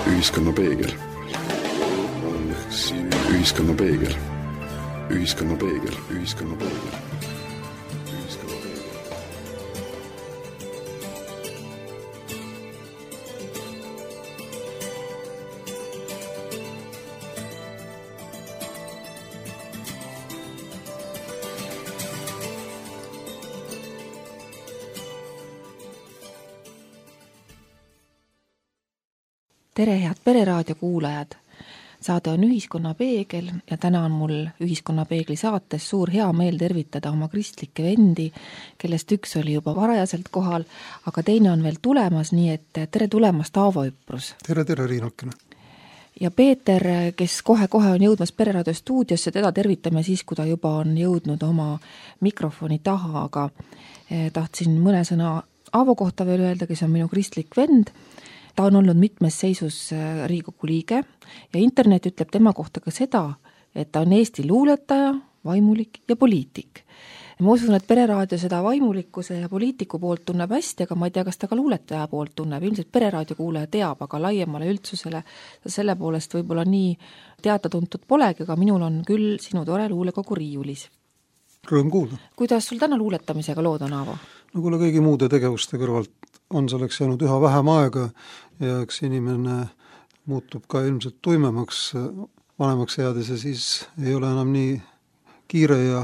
Ühiskonna peegel. Ühiskonna peegel. Ühiskonna peegel. Ühiskonna peegel. Tere, head Pereraadio kuulajad! Saade on Ühiskonna peegel ja täna on mul Ühiskonna peegli saates suur hea meel tervitada oma kristlikke vendi, kellest üks oli juba varajaselt kohal, aga teine on veel tulemas, nii et tere tulemast, Aavo Üprus! Tere, Riinakene! Ja Peeter, kes kohe-kohe on jõudmas Pereraadio stuudiosse, teda tervitame siis, kui ta juba on jõudnud oma mikrofoni taha, aga tahtsin mõne sõna Aavo kohta veel öelda, kes on minu kristlik vend. Ta on olnud mitmes seisus Riigikogu liige ja internet ütleb tema kohta ka seda, et ta on Eesti luuletaja, vaimulik ja poliitik. Ma usun, et Pereraadio seda vaimulikkuse ja poliitiku poolt tunneb hästi, aga ma ei tea, kas ta ka luuletaja poolt tunneb. Ilmselt Pereraadio kuulaja teab, aga laiemale üldsusele selle poolest võib-olla nii teatatuntud polegi, aga minul on küll sinu tore luulekogu riiulis. Rõõm kuulda. Kuidas sul täna luuletamisega lood on, Aavo? No kuule, kõigi muude tegevuste kõrvalt on selleks jäänud üha vähem aega ja eks inimene muutub ka ilmselt tuimemaks, vanemaks jäädes ja siis ei ole enam nii kiire ja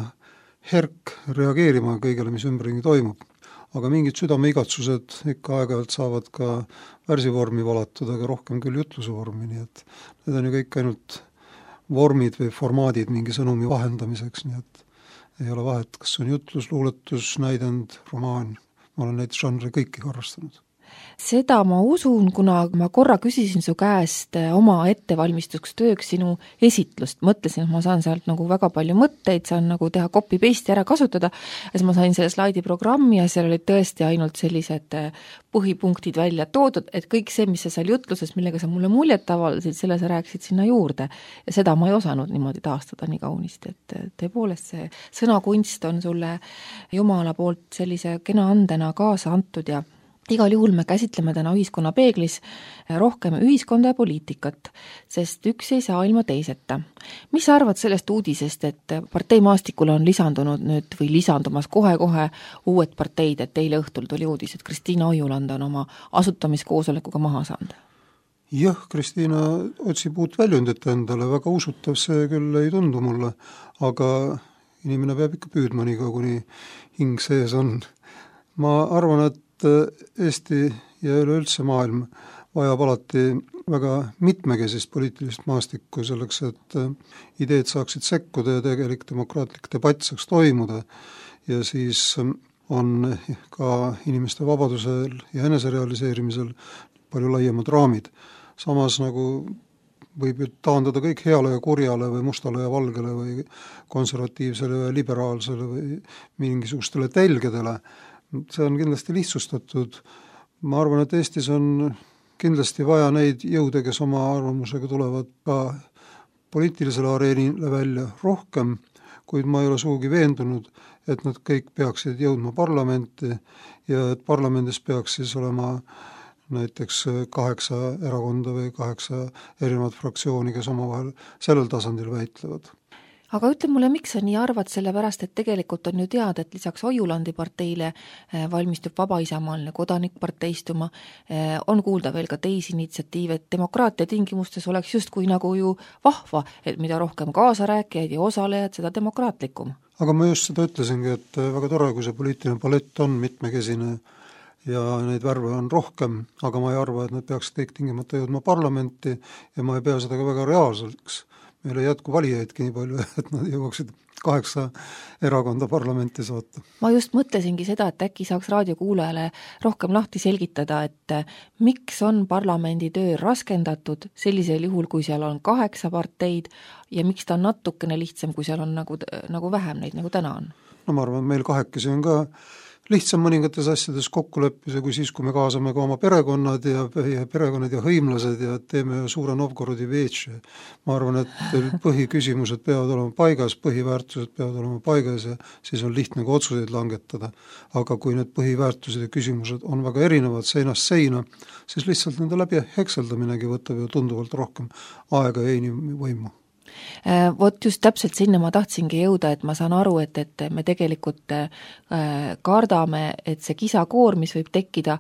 herk reageerima kõigele, mis ümberringi toimub. Aga mingid südameigatsused ikka aeg-ajalt saavad ka värsivormi valatud, aga rohkem küll jutluse vormi, nii et need on ju kõik ainult vormid või formaadid mingi sõnumi vahendamiseks, nii et ei ole vahet, kas on jutlus, luuletus, näidend, romaan. Ma olen neid žanre kõiki harrastanud. Seda ma usun, kuna ma korra küsisin su käest oma ettevalmistuks tööks sinu esitlust. Mõtlesin, et ma saan sealt nagu väga palju mõtteid, saan nagu teha copy-paste ära kasutada. Ja siis ma sain selle slaidiprogrammi ja seal olid tõesti ainult sellised põhipunktid välja toodud, et kõik see, mis sa seal jutluses, millega sa mulle muljet avaldasid, selle sa rääkisid sinna juurde. Ja seda ma ei osanud niimoodi taastada nii kaunisti, et tõepoolest see sõnakunst on sulle Jumala poolt sellise kena andena kaasa antud ja igal juhul me käsitleme täna Ühiskonna peeglis rohkem ühiskonda ja poliitikat, sest üks ei saa ilma teiseta. Mis sa arvad sellest uudisest, et parteimaastikule on lisandunud nüüd või lisandumas kohe-kohe uued parteid, et eile õhtul tuli uudis, et Kristiina Ojuland on oma asutamiskoosolekuga maha saanud? Jah, Kristiina otsib uut väljundit endale, väga usutav see küll ei tundu mulle, aga inimene peab ikka püüdma nii kaua, kuni hing sees on. Ma arvan, et Eesti ja üleüldse maailm vajab alati väga mitmekesist poliitilist maastikku selleks, et ideed saaksid sekkuda ja tegelik demokraatlik debatt saaks toimuda ja siis on ka inimeste vabadusel ja eneserealiseerimisel palju laiemad raamid. Samas nagu võib ju taandada kõik heale ja kurjale või mustale ja valgele või konservatiivsele ja liberaalsele või mingisugustele telgedele. See on kindlasti lihtsustatud. Ma arvan, et Eestis on kindlasti vaja neid jõude, kes oma arvamusega tulevad ka poliitilisele areenile välja rohkem, kuid ma ei ole sugugi veendunud, et nad kõik peaksid jõudma parlamenti ja et parlamendis peaks siis olema näiteks 8 erakonda või 8 erinevat fraktsiooni, kes omavahel sellel tasandil väitlevad. Aga ütle mulle, miks sa nii arvad, sellepärast, et tegelikult on ju teada, et lisaks Ojulandi parteile valmistub Vaba Isamaaline Kodanikpartei istuma, on kuulda veel ka teisi initsiatiive, et demokraatia tingimustes oleks justkui nagu ju vahva, et mida rohkem kaasarääkijaid ja osalejad, seda demokraatlikum. Aga ma just seda ütlesingi, et väga tore, kui see poliitiline palett on mitmekesine ja neid värve on rohkem, aga ma ei arva, et nad peaks kõik tingimata jõudma parlamenti ja ma ei pea seda ka väga reaalseks. Meil ei jätku valijaidki nii palju, et nad jõuaksid 8 erakonda parlamenti saata. Ma just mõtlesingi seda, et äkki saaks raadiokuulajale rohkem lahti selgitada, et miks on parlamendi töö raskendatud sellisel juhul, kui seal on 8 parteid ja miks ta on natukene lihtsam, kui seal on nagu vähem neid, nagu täna on? No ma arvan, et meil kahekesi on ka lihtsam mõningates asjades kokku leppida kui siis, kui me kaasame ka oma perekonnad ja hõimlased ja teeme suure Novgorodi veetši. Ma arvan, et põhiküsimused peavad olema paigas, põhiväärtused peavad olema paigas ja siis on lihtne ka otsuseid langetada. Aga kui need põhiväärtused ja küsimused on väga erinevad seinast seina, siis lihtsalt nende läbi hekseldaminegi võtab ju tunduvalt rohkem aega ja inimvõimu. Vot just täpselt sinna ma tahtsingi jõuda, et ma saan aru, et me tegelikult kardame, et see kisakoor, mis võib tekkida,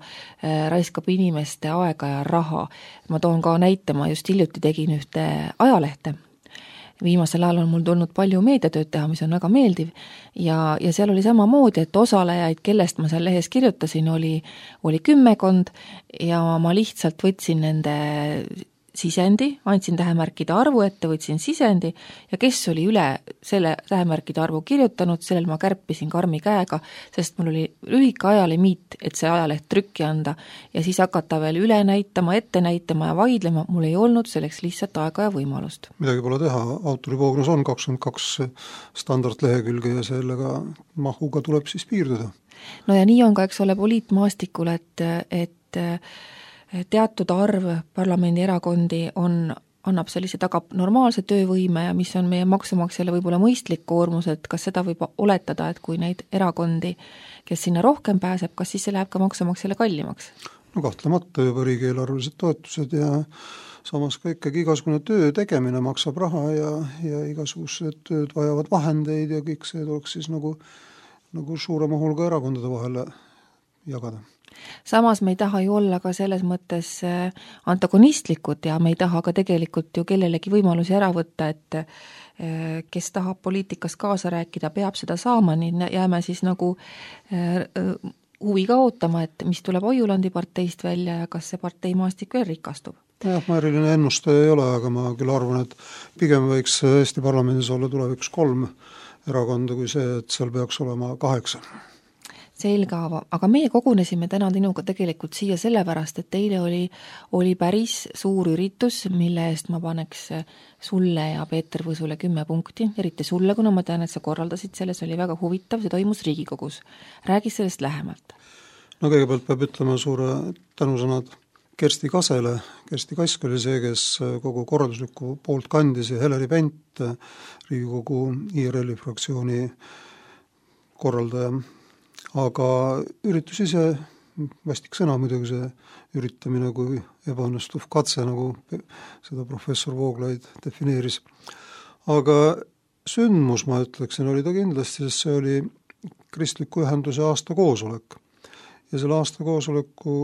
raiskab inimeste aega ja raha. Ma toon ka näite, ma just hiljuti tegin ühte ajalehte. Viimasel ajal on mul tulnud palju meediatööd teha, mis on väga meeldiv ja seal oli samamoodi, et osalejaid, kellest ma seal lehes kirjutasin, oli 10 ja ma lihtsalt võtsin nende sisendi, andsin tähemärkide arvu ette, võtsin sisendi ja kes oli üle selle tähemärkide arvu kirjutanud, sellel ma kärpisin karmi käega, sest mul oli lühike ajalimiit, et see ajaleht trükki anda ja siis hakata veel üle näitama, ette näitama ja vaidlema, mul ei olnud selleks lihtsalt aega ja võimalust. Midagi pole teha, autorivoognus on 22 standardlehekülge ja sellega mahuga tuleb siis piirduda. No ja nii on ka, eks ole, poliitmaastikul, et teatud arv parlamendierakondi annab sellise tagab normaalse töövõime ja mis on meie maksumaksjale võib-olla mõistlik koormus, et kas seda võib oletada, et kui neid erakondi, kes sinna rohkem pääseb, kas siis see läheb ka maksumaksjale kallimaks? No kahtlemata juba riigieelarvelised toetused ja samas ka ikkagi igasugune töö tegemine maksab raha ja igasugused tööd vajavad vahendeid ja kõik see tuleks siis nagu suurema hulga erakondade vahele jagada. Samas me ei taha ju olla ka selles mõttes antagonistlikud ja me ei taha ka tegelikult ju kellelegi võimalusi ära võtta, et kes tahab poliitikas kaasa rääkida, peab seda saama, nii jääme siis nagu huviga ootama, et mis tuleb Oiulandi parteist välja ja kas see parteimaastik veel rikastub. Jah, ma eriline ennustaja ei ole, aga ma küll arvan, et pigem võiks Eesti parlamendis olla tulevikus 3 erakonda kui see, et seal peaks olema 8. Selge, aga meie kogunesime täna tinuga tegelikult siia sellepärast, et teile oli päris suur üritus, mille eest ma paneks sulle ja Peeter Võsule 10 punkti, eriti sulle, kuna ma tean, et sa korraldasid selles, oli väga huvitav, see toimus Riigikogus. Räägi sellest lähemalt. No kõigepealt peab ütlema suure tänusõnad Kersti Kasele. Kersti Kask oli see, kes kogu korralduslikku poolt kandis ja Heleri Pent, Riigikogu IRL-i fraktsiooni korraldaja. Aga üritus ise, vastik sõna muidugi see üritamine kui ebaõnnestuv katse, nagu seda professor Vooglaid defineeris. Aga sündmus, ma ütleksin, oli ta kindlasti, sest see oli kristliku ühenduse aastakoosolek. Ja selle aastakoosoleku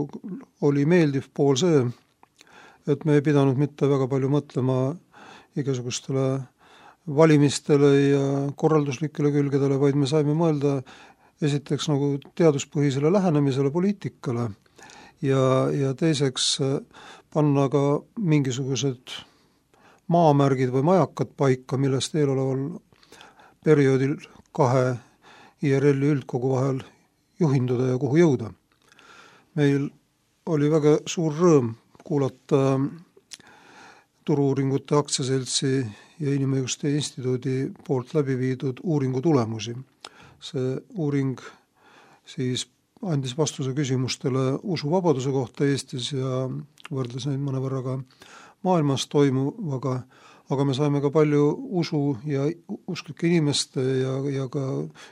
oli meeldiv pool see, et me ei pidanud mitte väga palju mõtlema igasugustele valimistele ja korralduslikele külgedele, vaid me saime mõelda esiteks nagu teaduspõhisele lähenemisele poliitikale ja teiseks panna ka mingisugused maamärgid või majakad paika, millest eeloleval perioodil 2 IRL-i üldkogu vahel juhinduda ja kuhu jõuda. Meil oli väga suur rõõm kuulata Turu-uuringute aktsiaseltsi ja Inimõiguste instituudi poolt läbi viidud uuringu tulemusi. See uuring siis andis vastuse küsimustele usuvabaduse kohta Eestis ja võrdles neid mõnevõrra ka maailmas toimuvaga, aga me saime ka palju usu ja usklike inimeste ja ka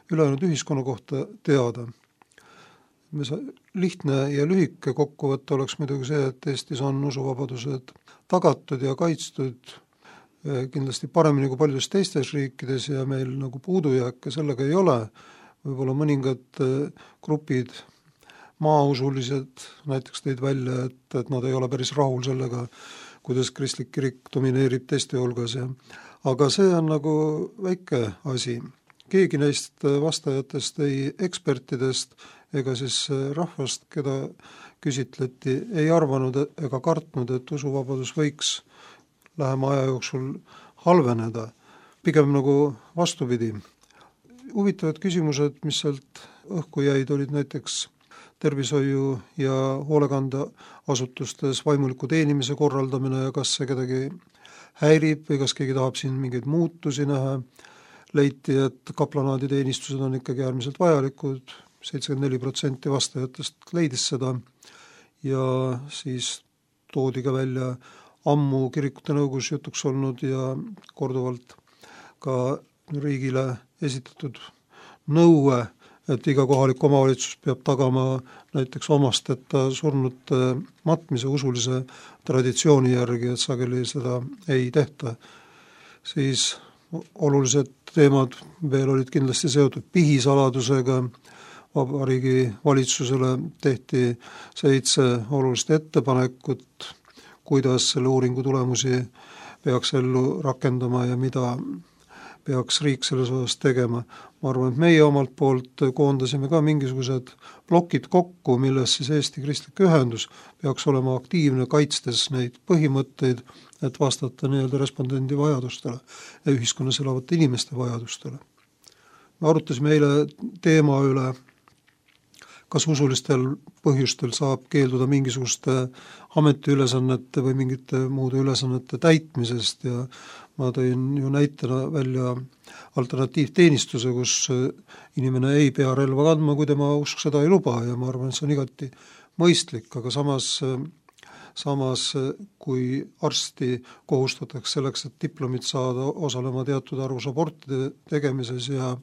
ülejäänud ühiskonna kohta teada. Lihtne ja lühike kokkuvõte oleks muidugi see, et Eestis on usuvabadused tagatud ja kaitstud kindlasti paremini kui paljudes teistes riikides ja meil nagu puudujääke sellega ei ole. Võib-olla mõningad grupid, maausulised näiteks tõid välja, et nad ei ole päris rahul sellega, kuidas kristlik kirik domineerib teiste hulgas. Aga see on nagu väike asi. Keegi neist vastajatest, ei ekspertidest ega siis rahvast, keda küsitleti, ei arvanud ega kartnud, et usuvabadus võiks lähema aja jooksul halveneda. Pigem nagu vastupidi. Huvitavad küsimused, mis sealt õhku jäid, olid näiteks tervishoiu ja hoolekandeasutustes vaimuliku teenimise korraldamine ja kas see kedagi häirib või kas keegi tahab siin mingeid muutusi näha. Leiti, et kaplanaaditeenistused on ikkagi äärmiselt vajalikud, 74% vastajatest leidis seda ja siis toodi ka välja ammu kirikute nõukogus jutuks olnud ja korduvalt ka riigile esitatud nõue, et iga kohalik omavalitsus peab tagama näiteks omasteta surnute matmise usulise traditsiooni järgi, et sageli seda ei tehta. Siis olulised teemad veel olid kindlasti seotud pihisaladusega. Vabariigi valitsusele tehti 7 olulist ettepanekut, kuidas selle uuringu tulemusi peaks ellu rakendama ja mida peaks riik selles osas tegema. Ma arvan, et meie omalt poolt koondasime ka mingisugused plokid kokku, milles siis Eesti Kristlik Ühendus peaks olema aktiivne, kaitstes neid põhimõtteid, et vastata nii-öelda respondendi vajadustele ja ühiskonnas elavate inimeste vajadustele. Me arutasime eile teema üle, kas usulistel põhjustel saab keelduda mingisuguste ametiülesannete või mingite muude ülesannete täitmisest ja ma tõin ju näitena välja alternatiivteenistuse, kus inimene ei pea relva kandma, kui tema usk seda ei luba ja ma arvan, et see on igati mõistlik, aga samas kui arsti kohustatakse selleks, et diplomit saada, osalema teatud arvus abortide tegemises ja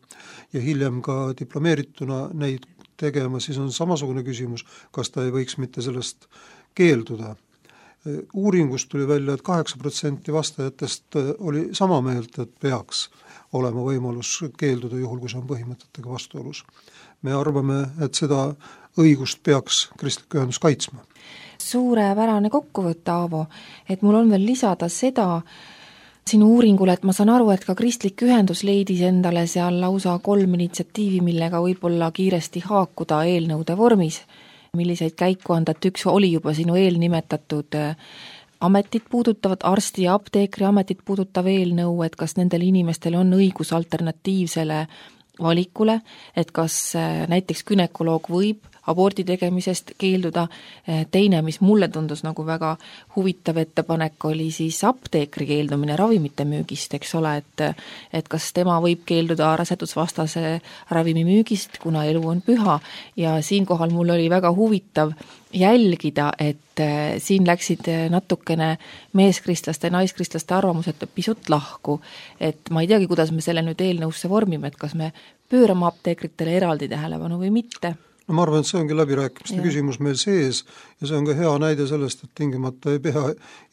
hiljem ka diplomeerituna neid tegema, siis on samasugune küsimus, kas ta ei võiks mitte sellest keelduda. Uuringust tuli välja, et 8% vastajatest oli sama meelt, et peaks olema võimalus keelduda juhul, kui see on põhimõtetega vastuolus. Me arvame, et seda õigust peaks Kristlik Ühendus kaitsma. Suurepärane kokkuvõte, Aavo, et mul on veel lisada seda sinu uuringule, et ma saan aru, et ka Kristlik Ühendus leidis endale seal lausa 3 initsiatiivi, millega võib-olla kiiresti haakuda eelnõude vormis, milliseid käiku anda, et üks oli juba sinu eelnimetatud ametit puudutavad, arsti ja apteekri ametit puudutav eelnõu, et kas nendel inimestel on õigus alternatiivsele valikule, et kas näiteks günekoloog võib abordi tegemisest keelduda. Teine, mis mulle tundus nagu väga huvitav ettepanek, oli siis apteekri keeldumine ravimite müügist, eks ole, et kas tema võib keelduda rasedusvastase ravimi müügist, kuna elu on püha ja siinkohal mul oli väga huvitav jälgida, et siin läksid natukene meeskristlaste ja naiskristlaste arvamused pisut lahku, et ma ei teagi, kuidas me selle nüüd eelnõusse vormime, et kas me pöörame apteekritele eraldi tähelepanu või mitte. No ma arvan, et see ongi läbirääkimiste küsimus meil sees ja see on ka hea näide sellest, et tingimata ei pea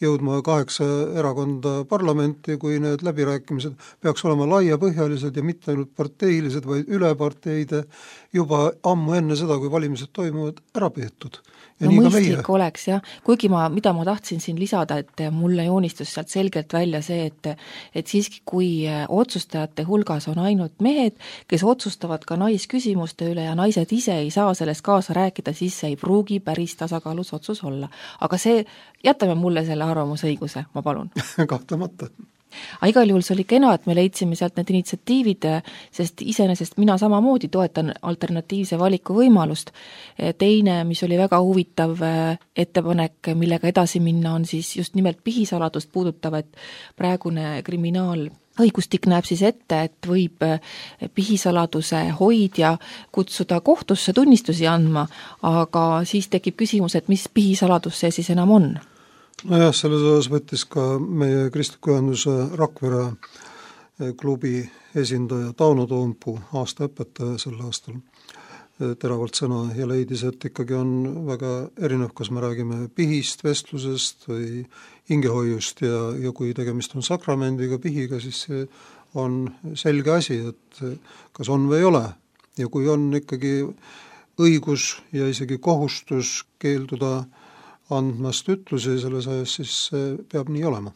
jõudma 8 erakonda parlamenti, kui need läbirääkimised peaks olema laiapõhjalised ja mitte ainult parteilised, vaid üle parteide juba ammu enne seda, kui valimised toimuvad, ära peetud. Ja no mõistlik oleks, jah. Kuigi mida ma tahtsin siin lisada, et mulle joonistus sealt selgelt välja see, et siiski kui otsustajate hulgas on ainult mehed, kes otsustavad ka naisküsimuste üle ja naised ise ei saa sellest kaasa rääkida, siis see ei pruugi päris tasakaalus otsus olla. Aga jätame mulle selle arvamusõiguse, ma palun. Kahtlemata. Aga igal juhul see oli kena, et me leidsime sealt need initsiatiivid, sest iseenesest mina samamoodi toetan alternatiivse valiku võimalust. Teine, mis oli väga huvitav ettepanek, millega edasi minna, on siis just nimelt pihisaladust puudutav, et praegune kriminaalõigustik näeb siis ette, et võib pihisaladuse hoidja kutsuda kohtusse tunnistusi andma, aga siis tekib küsimus, et mis pihisaladus see siis enam on? Nojah, selles osas võttis ka meie Kristliku Ühenduse Rakvere klubi esindaja Tauno Toompuu, aastaõpetaja sel aastal, teravalt sõna ja leidis, et ikkagi on väga erinev, kas me räägime pihist, vestlusest või hingehoiust ja kui tegemist on sakramendiga, pihiga, siis see on selge asi, et kas on või ei ole. Ja kui on ikkagi õigus ja isegi kohustus keelduda andmast ütlusi selles ajas, siis peab nii olema.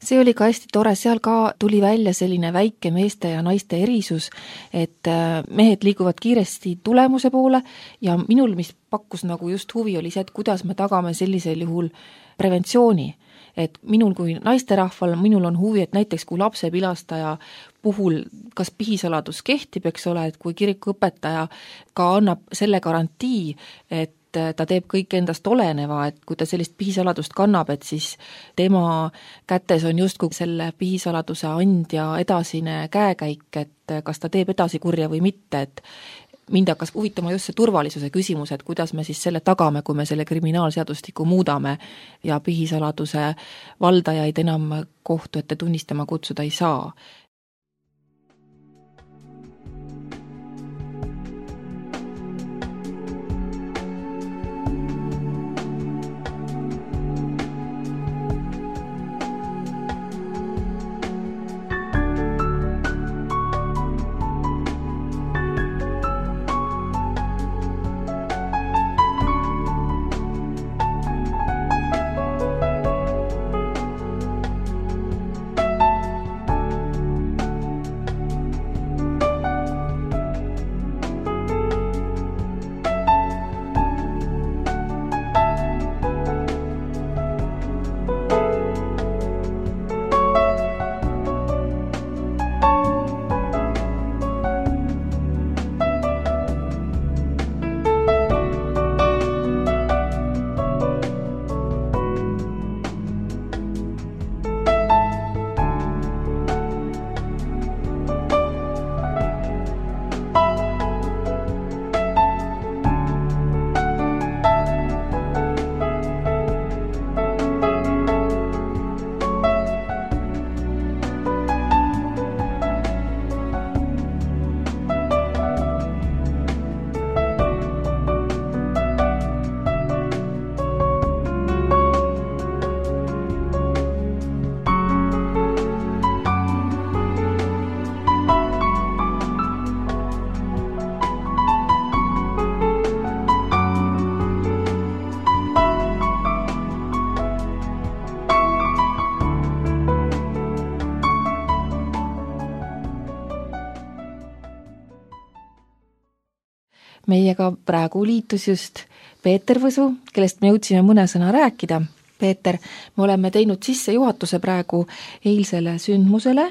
See oli ka hästi tore, seal ka tuli välja selline väike meeste ja naiste erisus, et mehed liiguvad kiiresti tulemuse poole ja minul, mis pakkus nagu just huvi, oli see, et kuidas me tagame sellisel juhul preventsiooni. Et minul kui naisterahval, minul on huvi, et näiteks kui lapsepilastaja puhul kas pihisaladus kehtib, eks ole, et kui kirikuõpetaja ka annab selle garantii, et ta teeb kõik endast oleneva, et kui ta sellist pihisaladust kannab, et siis tema kätes on justkui selle pihisaladuse andja edasine käekäik, et kas ta teeb edasi kurja või mitte, et mind hakkas huvitama just see turvalisuse küsimus, et kuidas me siis selle tagame, kui me selle kriminaalseadustiku muudame ja pihisaladuse valdajaid enam kohtu ette tunnistama kutsuda ei saa. Meiega praegu liitus just Peeter Võsu, kellest me jõudsime mõne sõna rääkida. Peeter, me oleme teinud sissejuhatuse praegu eilsele sündmusele.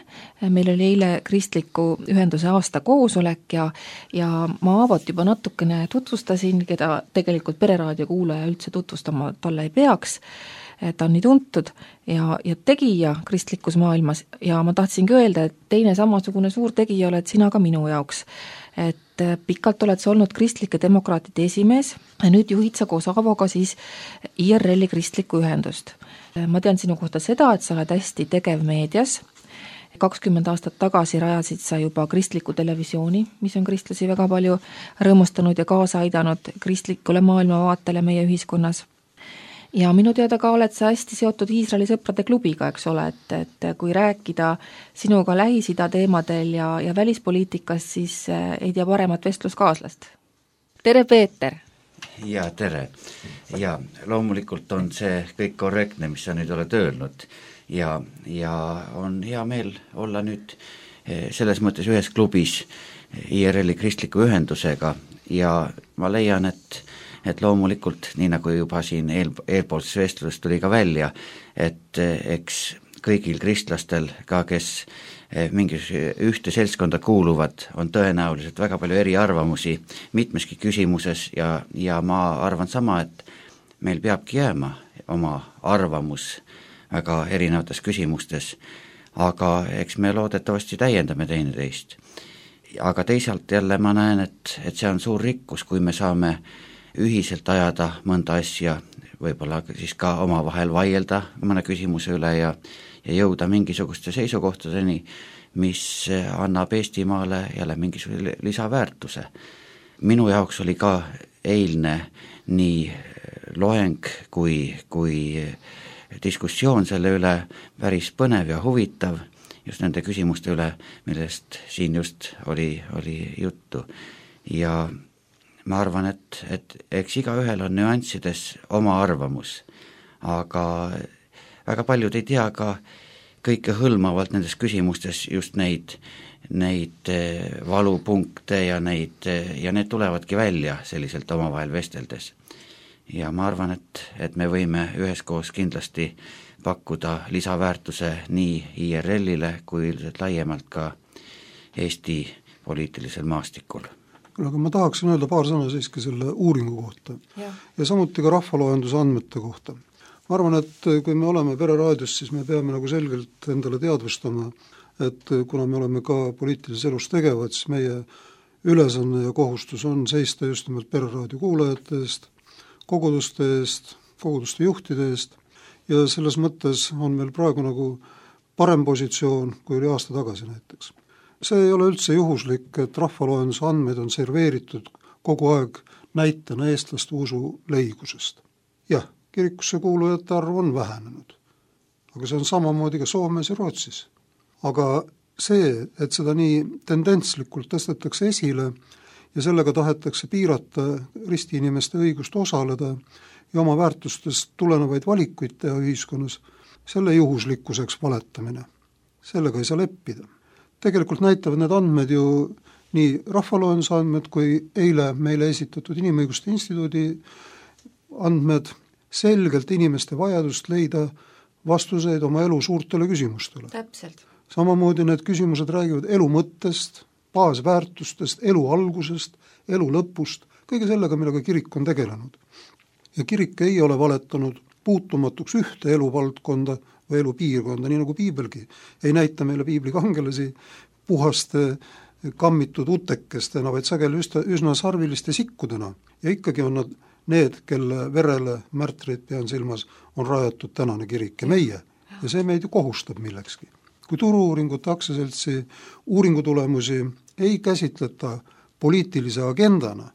Meil oli eile kristliku ühenduse aastakoosolek ja ma avalt juba natukene tutvustasin, keda tegelikult Pereraadio kuulaja üldse tutvustama talle ei peaks. Ta on nii tuntud ja tegija kristlikus maailmas ja ma tahtsingi öelda, et teine samasugune suur tegija oled sina ka minu jaoks. Et pikalt oled sa olnud kristlike demokraatide esimees ja nüüd juhid sa koos Aavoga siis IRL-i kristlikku ühendust. Ma tean sinu kohta seda, et sa oled hästi tegev meedias. 20 aastat tagasi rajasid sa juba kristliku televisiooni, mis on kristlasi väga palju rõõmustanud ja kaasa aidanud kristlikule maailmavaatele meie ühiskonnas. Ja minu teada ka oled sa hästi seotud Iisraeli sõprade klubiga, eks ole, et kui rääkida sinuga Lähis-Ida teemadel ja välispoliitikast, siis ei tea paremat vestluskaaslast. Tere, Peeter! Ja, tere! Ja loomulikult on see kõik korrektne, mis sa nüüd oled öelnud ja on hea meel olla nüüd selles mõttes ühes klubis IRL-i kristliku ühendusega ja ma leian, et loomulikult, nii nagu juba siin eelpoolses vestluses tuli ka välja, et eks kõigil kristlastel, ka kes mingis ühte seltskonda kuuluvad, on tõenäoliselt väga palju eriarvamusi mitmeski küsimuses ja ma arvan sama, et meil peabki jääma oma arvamus väga erinevates küsimustes, aga eks me loodetavasti täiendame teineteist. Aga teisalt jälle ma näen, et see on suur rikkus, kui me saame ühiselt ajada mõnda asja, võib-olla siis ka omavahel vaielda mõne küsimuse üle ja jõuda mingisuguste seisukohtadeni, mis annab Eestimaale jälle mingisuguse lisaväärtuse. Minu jaoks oli ka eilne nii loeng kui diskussioon selle üle päris põnev ja huvitav, just nende küsimuste üle, millest siin just oli juttu. Ja ma arvan, et eks igaühel on nüanssides oma arvamus, aga väga paljud ei tea ka kõike hõlmavalt nendes küsimustes just neid valupunkte ja need tulevadki välja selliselt omavahel vesteldes. Ja ma arvan, et me võime üheskoos kindlasti pakkuda lisaväärtuse nii IRL-ile kui üldiselt laiemalt ka Eesti poliitilisel maastikul. Aga ma tahaksin öelda paar sõna siiski selle uuringu kohta ja samuti ka rahvaloenduse andmete kohta. Ma arvan, et kui me oleme Pereraadios, siis me peame nagu selgelt endale teadvustama, et kuna me oleme ka poliitilises elus tegevad, siis meie ülesanne ja kohustus on seista just nimelt pereraadio kuulajate eest, koguduste eest, koguduste juhtide eest ja selles mõttes on meil praegu nagu parem positsioon, kui oli aasta tagasi näiteks. See ei ole üldse juhuslik, et rahvaloenduse andmeid on serveeritud kogu aeg näitena eestlaste usu leigusest. Jah, kirikusse kuulujate arv on vähenenud, aga see on samamoodi ka Soomes ja Rootsis. Aga see, et seda nii tendentslikult tõstetakse esile ja sellega tahetakse piirata ristiinimeste õigust osaleda ja oma väärtustest tulenevaid valikuid teha ühiskonnas, selle juhuslikkuseks valetamine. Sellega ei saa leppida. Tegelikult näitavad need andmed ju nii rahvaloenduse andmed kui eile meile esitatud Inimõiguste Instituudi andmed selgelt inimeste vajadust leida vastuseid oma elu suurtele küsimustele. Täpselt. Samamoodi need küsimused räägivad elu mõttest, baasväärtustest, elu algusest, elu lõpust, kõige sellega, millega kirik on tegelenud. Ja kirik ei ole valetanud puutumatuks ühte eluvaldkonda või elupiirkonda, nii nagu piibelgi. Ei näita meile piibli kangelasi puhaste kammitud utekestena, vaid sageli üsna sarviliste sikkudena. Ja ikkagi on nad need, kelle verele, märtreid pean silmas, on rajatud tänane kirik ja meie. Ja see meid ju kohustab millekski. Kui Turu-uuringute aktsiaseltsi uuringutulemusi ei käsitleta poliitilise agendana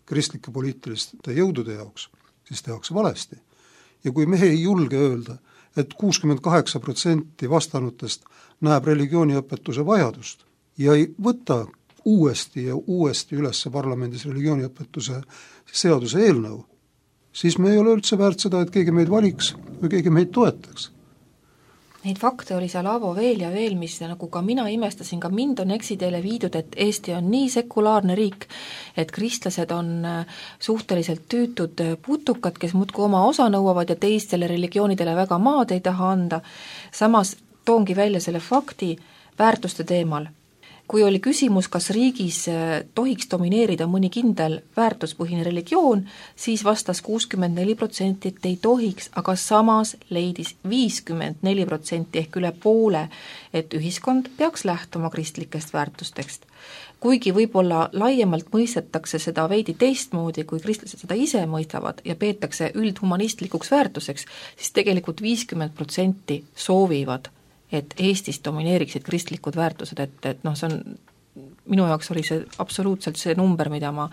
kristlike poliitiliste jõudude jaoks, siis tehakse valesti. Ja kui me ei julge öelda, et 68% vastanutest näeb religiooniõpetuse vajadust ja ei võta uuesti ja uuesti üles parlamendis religiooniõpetuse seaduse eelnõu, siis me ei ole üldse väärt seda, et keegi meid valiks või keegi meid toetaks. Neid fakte oli seal Aavo veel ja veel, mis nagu ka mina imestasin, ka mind on eksiteele viidud, et Eesti on nii sekulaarne riik, et kristlased on suhteliselt tüütud putukad, kes muudkui oma osa nõuavad ja teistele religioonidele väga maad ei taha anda. Samas toongi välja selle fakti väärtuste teemal. Kui oli küsimus, kas riigis tohiks domineerida mõni kindel väärtuspõhine religioon, siis vastas 64%, et ei tohiks, aga samas leidis 54% ehk üle poole, et ühiskond peaks lähtuma kristlikest väärtustest. Kuigi võib-olla laiemalt mõistetakse seda veidi teistmoodi, kui kristlased seda ise mõistavad ja peetakse üldhumanistlikuks väärtuseks, siis tegelikult 50% soovivad, et Eestis domineeriksid kristlikud väärtused, et see on, minu jaoks oli see absoluutselt see number, mida ma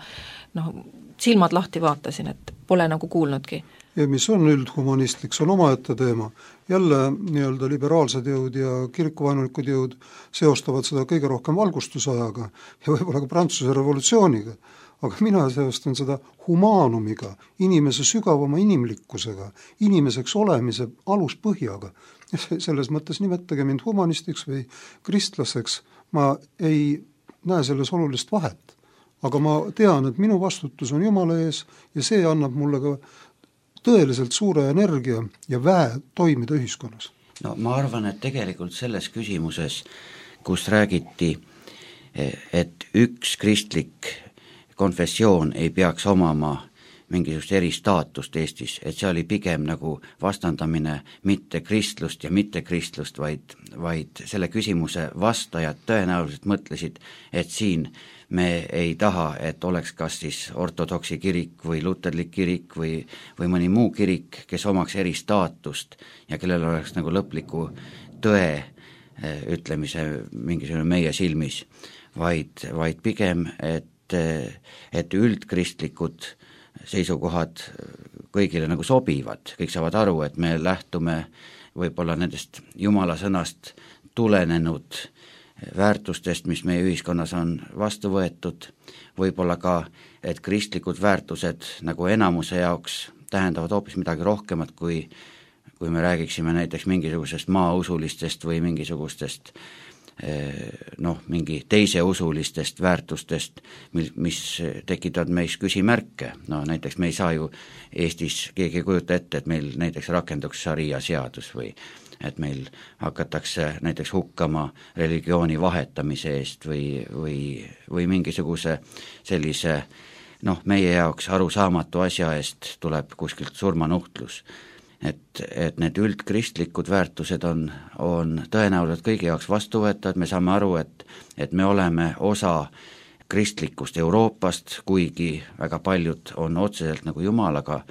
silmad lahti vaatasin, et pole nagu kuulnudki. Ja mis on üldhumanistlik, see on omaette teema. Jälle nii-öelda liberaalsed jõud ja kirikuvaenulikud jõud seostavad seda kõige rohkem valgustusajaga ja võib-olla ka Prantsuse revolutsiooniga. Aga mina seostan seda humaanumiga, inimese sügavama inimlikkusega, inimeseks olemise aluspõhjaga. Selles mõttes nimetage mind humanistiks või kristlaseks, ma ei näe selles olulist vahet. Aga ma tean, et minu vastutus on Jumala ees ja see annab mulle ka tõeliselt suure energia ja väe toimida ühiskonnas. No ma arvan, et tegelikult selles küsimuses, kus räägiti, et üks kristlik konfessioon ei peaks omama mingisugust eristaatust Eestis, et see oli pigem nagu vastandamine mitte kristlust ja mitte kristlust, vaid selle küsimuse vastajad tõenäoliselt mõtlesid, et siin me ei taha, et oleks kas siis ortodoksi kirik või luterlik kirik või mõni muu kirik, kes omaks eristaatust ja kellel oleks nagu lõpliku tõe ütlemise mingisugune meie silmis, vaid pigem, et üldkristlikud seisukohad kõigile nagu sobivad, kõik saavad aru, et me lähtume võib-olla nendest Jumala sõnast tulenenud väärtustest, mis meie ühiskonnas on vastu võetud, võib-olla ka, et kristlikud väärtused nagu enamuse jaoks tähendavad hoopis midagi rohkemat, kui me räägiksime näiteks mingisugusest maausulistest või mingisugustest mingi teise usulistest väärtustest, mis tekitavad meis küsimärke. Näiteks me ei saa ju Eestis keegi kujuta ette, et meil näiteks rakenduks šaria seadus või et meil hakatakse näiteks hukkama religiooni vahetamise eest või mingisuguse sellise meie jaoks arusaamatu asja eest tuleb kuskilt surmanuhtlus. Et need üldkristlikud väärtused on tõenäoliselt kõigi jaoks vastuvõetavad, me saame aru, et me oleme osa kristlikust Euroopast, kuigi väga paljud on otseselt nagu Jumalaga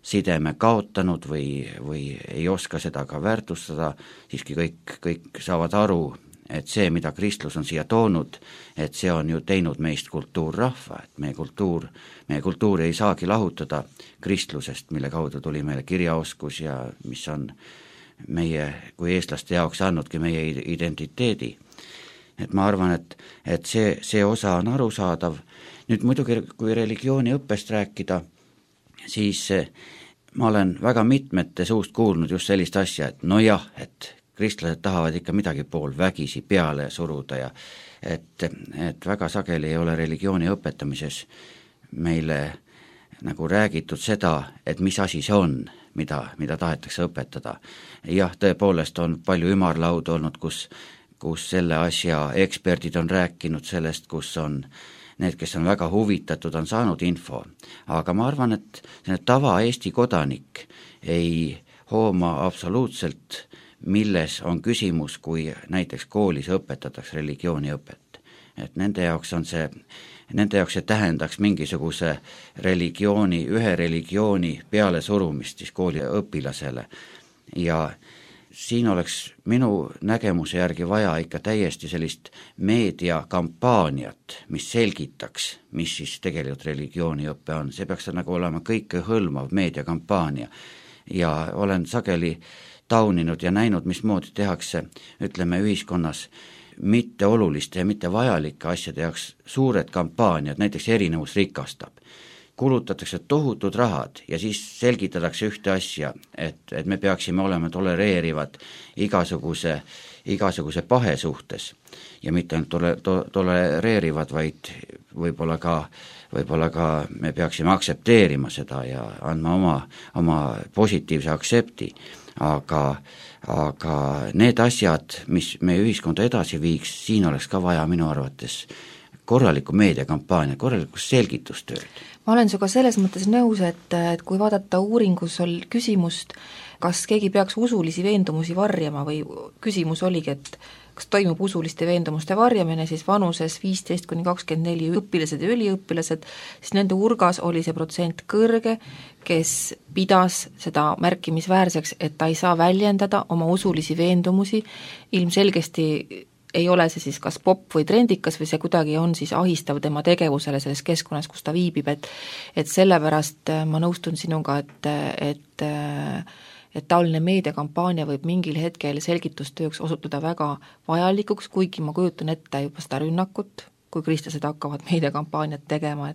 sideme kaotanud või ei oska seda ka väärtustada, siiski kõik saavad aru, et see, mida kristlus on siia toonud, et see on ju teinud meist kultuurrahva, et meie kultuuri ei saagi lahutada kristlusest, mille kaudu tuli meile kirjaoskus ja mis on meie kui eestlaste jaoks andnudki meie identiteedi. Et ma arvan, et see osa on arusaadav. Nüüd muidugi, kui religiooni õppest rääkida, siis ma olen väga mitmete suust kuulnud just sellist asja, et no jah, et kristlased tahavad ikka midagi pool vägisi peale suruda ja et väga sageli ei ole religiooni õpetamises meile nagu räägitud seda, et mis asi see on, mida tahetakse õpetada. Jah, tõepoolest on palju ümarlaudu olnud, kus selle asja eksperdid on rääkinud sellest, kus on need, kes on väga huvitatud, on saanud info. Aga ma arvan, et tava Eesti kodanik ei hooma absoluutselt, milles on küsimus, kui näiteks koolis õpetatakse religiooniõpet. Et nende jaoks see tähendaks mingisuguse ühe religiooni peale surumist siis kooli õpilasele. Ja siin oleks minu nägemuse järgi vaja ikka täiesti sellist meediakampaaniat, mis selgitaks, mis siis tegelikult religiooniõpe on. See peaks nagu olema kõikehõlmav meediakampaania. Ja olen sageli tauninud ja näinud, mismoodi tehakse, ütleme, ühiskonnas mitte oluliste ja mitte vajalike asjade jaoks suured kampaaniad, näiteks erinevus rikastab. Kulutatakse tohutud rahad ja siis selgitatakse ühte asja, et me peaksime olema tolereerivad igasuguse pahe suhtes ja mitte ainult tolereerivad, vaid võib-olla ka me peaksime aktsepteerima seda ja andma oma positiivse aktsepti, aga need asjad, mis meie ühiskonda edasi viiks, siin oleks ka vaja minu arvates korralikku meediakampaania, korralikku selgitustööd. Ma olen sinuga selles mõttes nõus, et kui vaadata uuringus küsimust, kas keegi peaks usulisi veendumusi varjama või küsimus oligi, et kas toimub usuliste veendumuste varjamine, siis vanuses 15–24 õpilased ja üliõpilased, siis nende hulgas oli see protsent kõrge, kes pidas seda märkimisväärseks, et ta ei saa väljendada oma usulisi veendumusi, ilmselgesti ei ole see siis kas popp või trendikas või see kuidagi on siis ahistav tema tegevusele selles keskkonnas, kus ta viibib, et sellepärast ma nõustun sinuga, et taoline meediakampaania võib mingil hetkel selgitustööks osutuda väga vajalikuks, kuigi ma kujutan ette juba seda rünnakut, kui kristlased hakkavad meediakampaaniat tegema,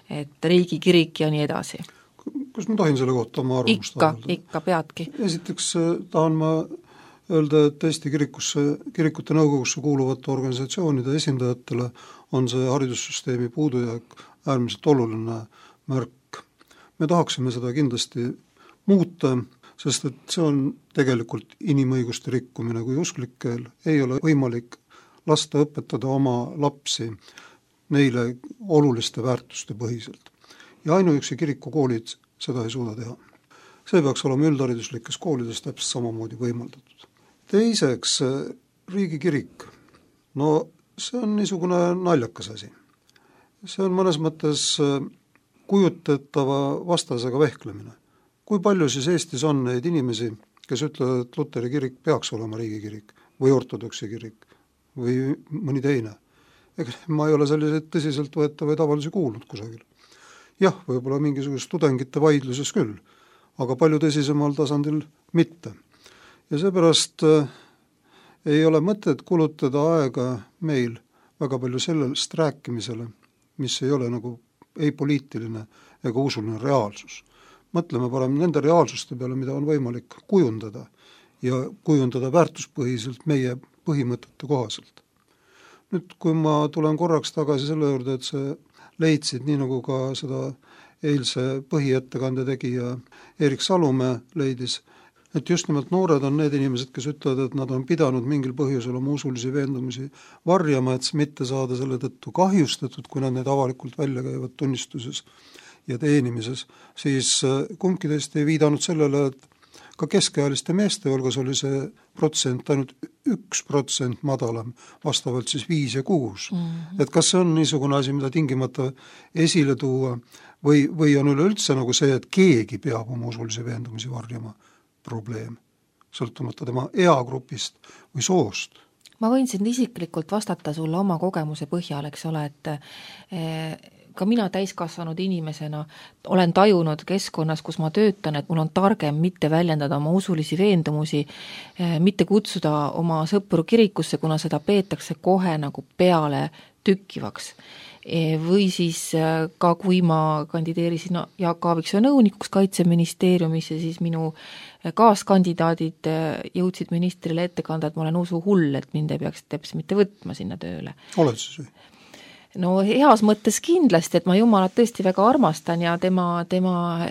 et riigikirik ja nii edasi. Kas ma tohin selle kohta oma arvamust avaldada? Ikka peadki. Esiteks tahan ma öelda, et Eesti kirikute nõukogusse kuuluvate organisatsioonide esindajatele on see haridussüsteemi puudujääk äärmiselt oluline märk. Me tahaksime seda kindlasti muuta, sest et see on tegelikult inimõiguste rikkumine, kui usklikel ei ole võimalik lasta õpetada oma lapsi neile oluliste väärtuste põhiselt. Ja ainuüksi kirikukoolid seda ei suuda teha. See peaks olema üldhariduslikes koolides täpselt samamoodi võimaldatud. Teiseks, riigikirik. No see on niisugune naljakas asi. See on mõnes mõttes kujutetava vastasega vehklemine. Kui palju siis Eestis on neid inimesi, kes ütlevad, et Luteri kirik peaks olema riigikirik või ortodoksi kirik või mõni teine? Ega ma ei ole selliseid tõsiselt võetavaid avaldusi kuulnud kusagil. Jah, võib-olla mingisugust tudengite vaidluses küll, aga palju tõsisemal tasandil mitte. Ja seepärast ei ole mõtet kulutada aega meil väga palju sellest rääkimisele, mis ei ole nagu ei poliitiline ega usuline reaalsus. Mõtleme parem nende reaalsuste peale, mida on võimalik kujundada ja kujundada väärtuspõhiselt meie põhimõtete kohaselt. Nüüd, kui ma tulen korraks tagasi selle juurde, et sa leidsid, nii nagu ka seda eilse põhiettekande tegija Erik Salumäe leidis, et just nimelt noored on need inimesed, kes ütlevad, et nad on pidanud mingil põhjusel oma usulisi veendumusi varjama, et mitte saada selle tõttu kahjustatud, kui nad need avalikult välja käivad tunnistuses ja teenimises, siis kumbki teist ei viidanud sellele, et ka keskealiste meeste hulgas oli see protsent ainult 1% madalam, vastavalt siis 5 ja 6. Et kas see on niisugune asi, mida tingimata esile tuua või on üleüldse nagu see, et keegi peab oma usulisi veendumusi varjama probleem, sõltumata tema eagrupist või soost? Ma võin sind isiklikult vastata sulle oma kogemuse põhjal, eks ole, et ka mina täiskasvanud inimesena olen tajunud keskkonnas, kus ma töötan, et mul on targem mitte väljendada oma usulisi veendumusi, mitte kutsuda oma sõpru kirikusse, kuna seda peetakse kohe nagu peale tükkivaks. Või siis ka kui ma kandideerisin Jaak Aaviksoo nõunikuks Kaitseministeeriumis ja siis minu kaaskandidaadid jõudsid ministrile ette kanda, et ma olen usuhull, et mind ei peaks teps mitte võtma sinna tööle. Oled siis või? No heas mõttes kindlasti, et ma Jumalat tõesti väga armastan ja tema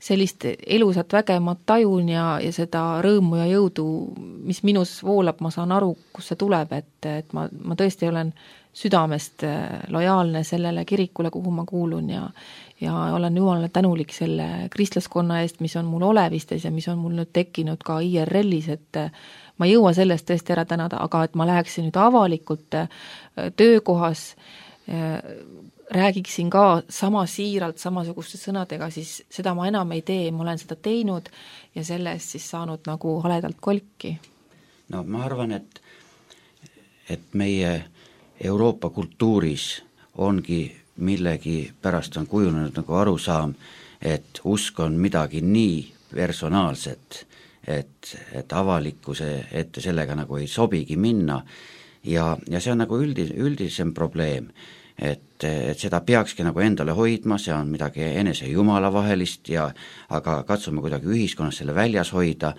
sellist elusat väge ma tajun ja seda rõõmu ja jõudu, mis minus voolab, ma saan aru, kus see tuleb, et ma tõesti olen südamest lojaalne sellele kirikule, kuhu ma kuulun ja olen Jumalale tänulik selle kristlaskonna eest, mis on mul olevistes ja mis on mul nüüd tekkinud ka IRL-is, et ma ei jõua sellest tõesti ära tänada, aga et ma läheksin nüüd avalikult töökohas, räägiksin ka sama siiralt, samasuguste sõnadega, siis seda ma enam ei tee, ma olen seda teinud ja selle eest siis saanud nagu haledalt kolki. No ma arvan, et meie Euroopa kultuuris ongi millegi pärast on kujunenud nagu arusaam, et usk on midagi nii personaalset, et avalikkuse ette sellega nagu ei sobigi minna ja see on nagu üldisem probleem, et seda peakski nagu endale hoidma, see on midagi enese Jumala vahelist aga katsume kuidagi ühiskonnas selle väljas hoida,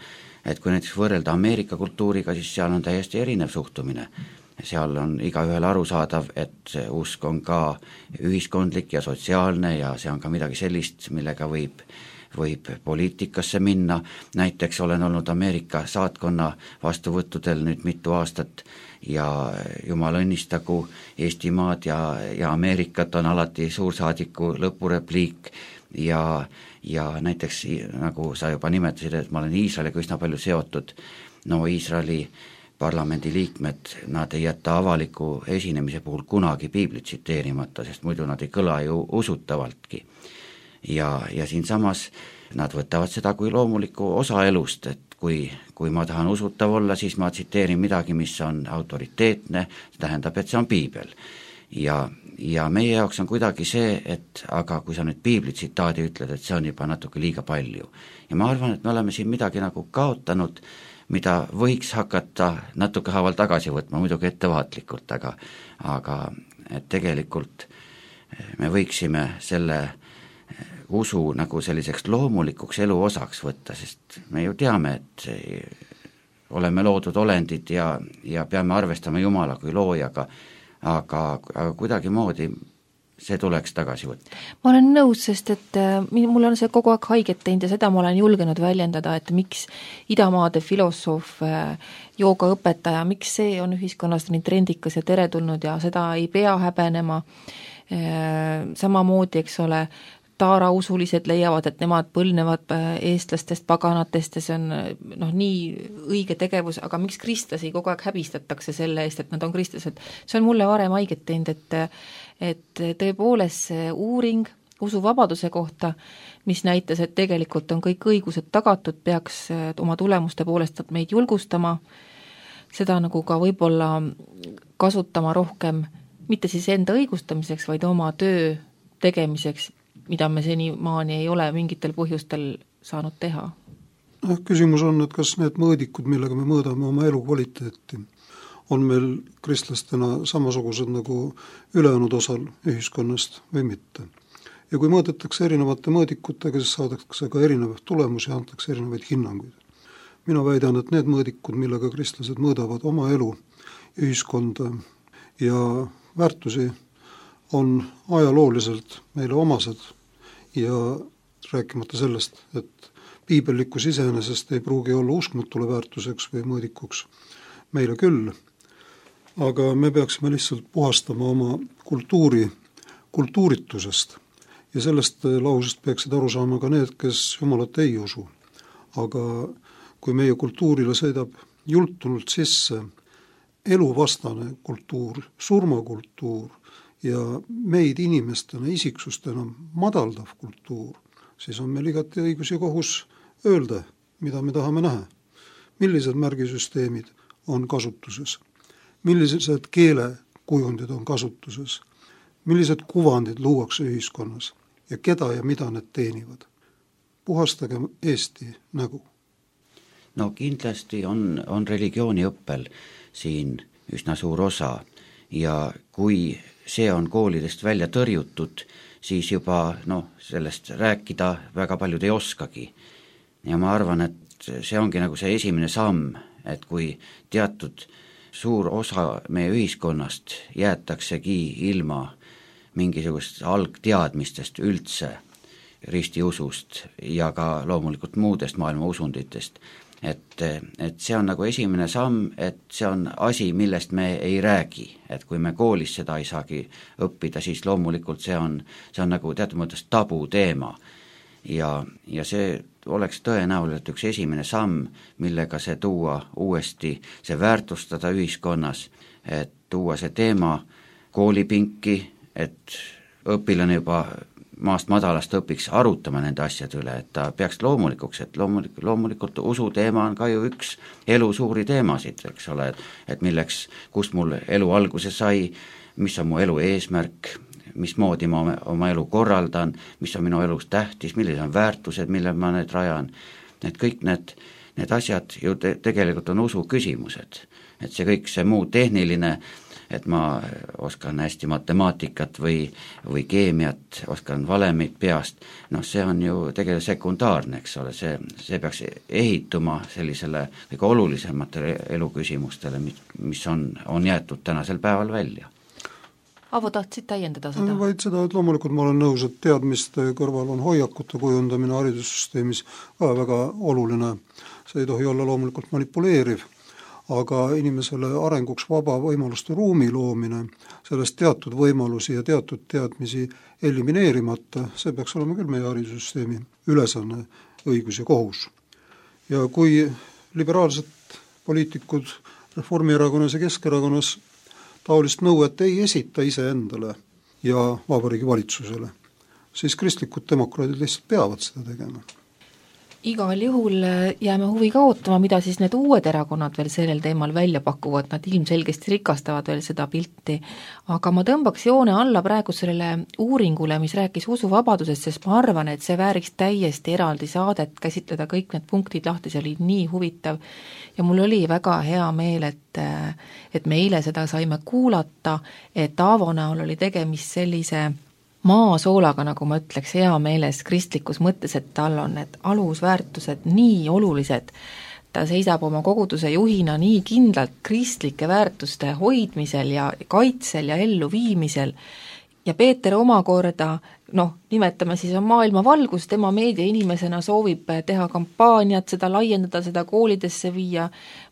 et kui näiteks võrrelda Ameerika kultuuriga, siis seal on täiesti erinev suhtumine. Seal on igaühel arusaadav, et usk on ka ühiskondlik ja sotsiaalne ja see on ka midagi sellist, millega võib poliitikasse minna, näiteks olen olnud Ameerika saatkonna vastuvõttudel nüüd mitu aastat ja jumal õnnistagu Eestimaad ja Ameerikat on alati suursaadiku lõpurepliik ja näiteks nagu sa juba nimetasid, et ma olen Iisraeliga üsna palju seotud, no Iisraeli parlamendi liikmed, nad ei jäta avaliku esinemise puhul kunagi piiblit tsiteerimata, sest muidu nad ei kõla ju usutavaltki. Ja siinsamas nad võtavad seda kui loomulikku osa elust, et kui ma tahan usutav olla, siis ma tsiteerin midagi, mis on autoriteetne, see tähendab, et see on piibel. Ja meie jaoks on kuidagi see, et aga kui sa nüüd piibli tsitaadi ütled, et see on juba natuke liiga palju. Ja ma arvan, et me oleme siin midagi nagu kaotanud, mida võiks hakata natuke haaval tagasi võtma, muidugi ettevaatlikult, aga et tegelikult me võiksime selle usu nagu selliseks loomulikuks elu osaks võtta, sest me ju teame, et oleme loodud olendid ja peame arvestama Jumala kui loojaga, aga kuidagi moodi see tuleks tagasi võtta. Ma olen nõus, sest et mul on see kogu aeg haiget teinud ja seda ma olen julgenud väljendada, et miks idamaade filosoof, joogaõpetaja, miks see on ühiskonnas nii trendikas ja teretulnud ja seda ei pea häbenema. Samamoodi, eks ole, taarausulised leiavad, et nemad põlnevad eestlastest, paganatest ja see on nii õige tegevus, aga miks kristlasi kogu aeg häbistatakse selle eest, et nad on kristlased? See on mulle varem haiget teinud, et tõepoolest see uuring usuvabaduse kohta, mis näitas, et tegelikult on kõik õigused tagatud, peaks oma tulemuste poolest meid julgustama, seda nagu ka võib-olla kasutama rohkem, mitte siis enda õigustamiseks, vaid oma töö tegemiseks, mida me senimaani ei ole mingitel põhjustel saanud teha. Küsimus on, et kas need mõõdikud, millega me mõõdame oma elu kvaliteeti, on meil kristlastena samasugused nagu ülejäänud osal ühiskonnast või mitte. Ja kui mõõdetakse erinevate mõõdikutega, siis saadakse ka erinevaid tulemusi ja antakse erinevaid hinnanguid. Mina väidan, et need mõõdikud, millega kristlased mõõdavad oma elu, ühiskonda ja väärtusi, on ajalooliselt meile omased ja rääkimata sellest, et piibellikkus iseenesest ei pruugi olla uskmatule väärtuseks või mõõdikuks meile küll, aga me peaksime lihtsalt puhastama oma kultuuritusest ja sellest lausest peaksid aru saama ka need, kes Jumalat ei usu. aga kui meie kultuurile sõidab jultunult sisse eluvastane kultuur, surmakultuur ja meid inimestena, isiksustena madaldav kultuur, siis on meil igati õigus ja kohus öelda, mida me tahame näha. Millised märgisüsteemid on kasutuses, millised keelekujundid on kasutuses, millised kuvandid luuakse ühiskonnas ja keda ja mida need teenivad. Puhastage Eesti nägu. No kindlasti on religiooniõppel siin üsna suur osa ja kui see on koolidest välja tõrjutud, siis juba sellest rääkida väga paljud ei oskagi. Ja ma arvan, et see ongi nagu see esimene samm, et kui teatud suur osa meie ühiskonnast jäetaksegi ilma mingisugust algteadmistest üldse ristiusust ja ka loomulikult muudest maailma usunditest, et see on nagu esimene samm, et see on asi, millest me ei räägi, et kui me koolis seda ei saagi õppida, siis loomulikult see on nagu teatud mõttes tabu teema ja see oleks tõenäoliselt üks esimene samm, millega see tuua uuesti, see väärtustada ühiskonnas, et tuua see teema koolipinki, et õpilane juba maast madalast õpiks arutama nende asjade üle, et ta peaks loomulikuks, et loomulikult usu teema on ka ju üks elu suuri teemasid, eks ole, et milleks, kust mul elu alguse sai, mis on mu elu eesmärk, mismoodi ma oma elu korraldan, mis on minu elus tähtis, millised on väärtused, mille ma need rajan, et kõik need asjad ju tegelikult on usu küsimused, et see kõik see muu tehniline, et ma oskan hästi matemaatikat või keemiat, oskan valemit peast, see on ju tegelikult sekundaarne, eks ole, see peaks ehituma sellisele kõige olulisematele eluküsimustele, mis on jäetud tänasel päeval välja. Avo, tahtsid täiendada seda? Vaid seda, et loomulikult ma olen nõus, et teadmiste kõrval on hoiakute kujundamine haridussüsteemis ka väga oluline. See ei tohi olla loomulikult manipuleeriv, aga inimesele arenguks vaba võimaluste ruumi loomine, sellest teatud võimalusi ja teatud teadmisi elimineerimata, see peaks olema küll meie haridussüsteemi ülesanne, õigus ja kohus. Ja kui liberaalsed poliitikud Reformierakonnas ja Keskerakonnas taolist nõuet ei esita iseendale ja Vabariigi Valitsusele, siis kristlikud demokraadid lihtsalt peavad seda tegema. Igal juhul jääme huviga ootama, mida siis need uued erakonnad veel sellel teemal välja pakuvad, nad ilmselgesti rikastavad veel seda pilti, aga ma tõmbaks joone alla praegu sellele uuringule, mis rääkis usuvabadusest, sest ma arvan, et see vääriks täiesti eraldi saadet, käsitleda kõik need punktid lahti, see oli nii huvitav ja mul oli väga hea meel, et me eile seda saime kuulata, et Aavo näol oli tegemist sellise maasoolaga, nagu ma ütleks, hea meeles kristlikus mõttes, et tal on need alusväärtused nii olulised, ta seisab oma koguduse juhina nii kindlalt kristlike väärtuste hoidmisel ja kaitsel ja elluviimisel ja Peeter omakorda, nimetame siis on maailma valgus, tema meediainimesena soovib teha kampaaniat, seda laiendada, seda koolidesse viia,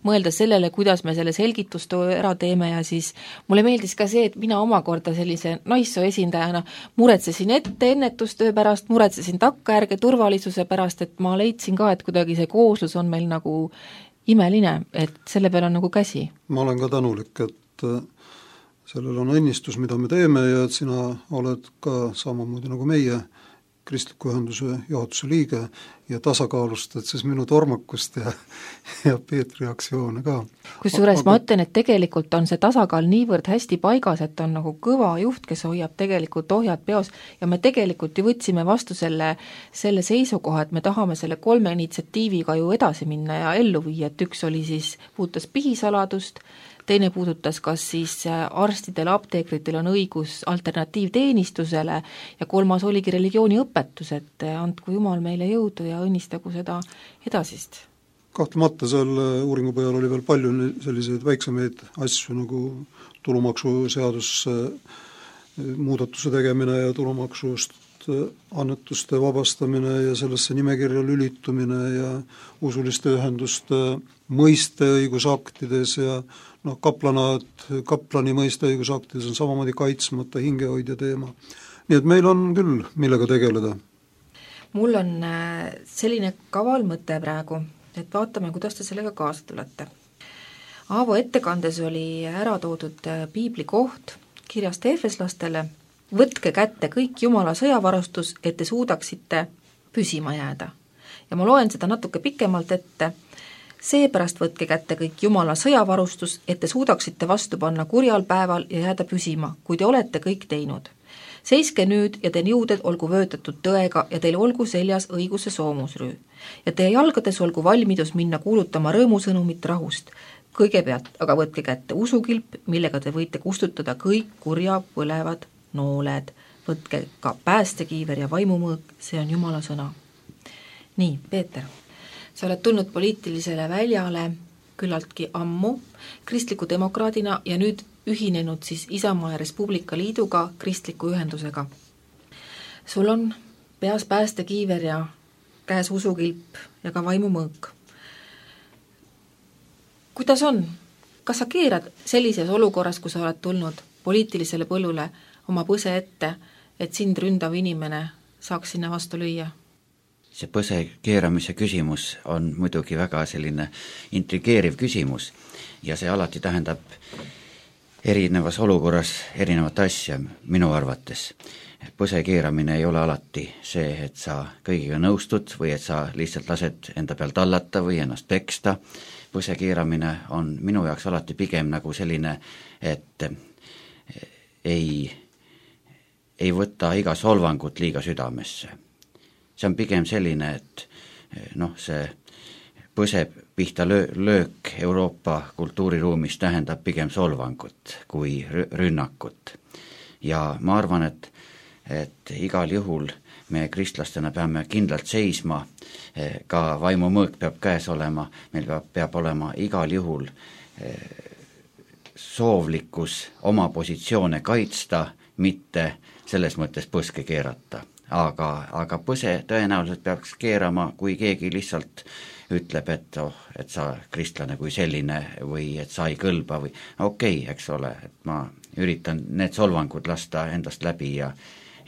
mõelda sellele, kuidas me selle selgitustöö ära teeme ja siis mulle meeldis ka see, et mina omakorda sellise naissoo esindajana muretsesin ennetustöö pärast, muretsesin takkajärge turvalisuse pärast, et ma leidsin ka, et kuidagi see kooslus on meil nagu imeline, et selle peal on nagu käsi. Ma olen ka tänulik, et sellel on õnnistus, mida me teeme ja et sina oled ka samamoodi nagu meie kristliku ühenduse juhatuse liige ja tasakaalustad siis minu tormakust ja Peetri aktsioone ka. Kusjuures ma ütlen, et tegelikult on see tasakaal niivõrd hästi paigas, et on nagu kõva juht, kes hoiab tegelikult ohjad peos ja me tegelikult ju võtsime vastu selle seisukoha, et me tahame selle 3 initsiatiiviga ju edasi minna ja ellu viia, et üks oli siis, puudutas pihisaladust, teine puudutas, kas siis arstidel, apteekritel on õigus alternatiivteenistusele ja 3 oligi religiooniõpetus, et andku Jumal meile jõudu ja õnnistagu seda edasist. Kahtlemata seal uuringu põhjal oli veel palju selliseid väiksemaid asju nagu tulumaksuseadus muudatuse tegemine ja tulumaksust annetuste vabastamine ja sellesse nimekirja lülitumine ja usuliste ühenduste mõiste õigusaktides ja kaplani mõiste õigusaktides on samamoodi kaitsmata hingehoidja teema. Nii et meil on küll, millega tegeleda. mul on selline kaval mõte praegu, et vaatame, kuidas te sellega kaasa tulete. Aavo ettekandes oli ära toodud piibli koht kirjast Efeslastele: võtke kätte kõik Jumala sõjavarustus, et te suudaksite püsima jääda. Ja ma loen seda natuke pikemalt ette. Seepärast võtke kätte kõik Jumala sõjavarustus, et te suudaksite vastu panna kurjal päeval ja jääda püsima, kui te olete kõik teinud. Seiske nüüd ja teie jõuded olgu vöötatud tõega ja teil olgu seljas õiguse soomusrüü. Ja teie jalgades olgu valmidus minna kuulutama rõõmusõnumit rahust. Kõigepealt aga võtke kätte usukilp, millega te võite kustutada kõik kurja põlevad nooled. Võtke ka päästekiiver ja vaimumõõk, see on Jumala sõna. Nii, Peeter, sa oled tulnud poliitilisele väljale küllaltki ammu kristliku demokraadina ja nüüd ühinenud siis Isamaa ja Res Publica Liiduga kristliku ühendusega. Sul on peas päästekiiver ja käes usukilp ja ka vaimumõõk. Kuidas on? Kas sa keerad sellises olukorras, kui sa oled tulnud poliitilisele põllule oma põse ette, et sind ründav inimene saaks sinna vastu lüüa? See põse keeramise küsimus on muidugi väga selline intrigeeriv küsimus ja see alati tähendab erinevas olukorras erinevat asja minu arvates. Põse keeramine ei ole alati see, et sa kõigiga nõustud või et sa lihtsalt lased enda peal tallata või ennast peksta. Põse keeramine on minu jaoks alati pigem nagu selline, et ei võta iga solvangut liiga südamesse. See on pigem selline, et see põse pihta löök Euroopa kultuuriruumis tähendab pigem solvangut kui rünnakut. Ja ma arvan, et igal juhul me kristlastena peame kindlalt seisma, ka vaimumõõk peab käes olema, meil peab olema igal juhul soovlikkus oma positsioone kaitsta, mitte selles mõttes põske keerata. Aga põse tõenäoliselt peaks keerama, kui keegi lihtsalt ütleb, et sa kristlane kui selline või et sa ei kõlba või okei, eks ole, et ma üritan need solvangud lasta endast läbi ja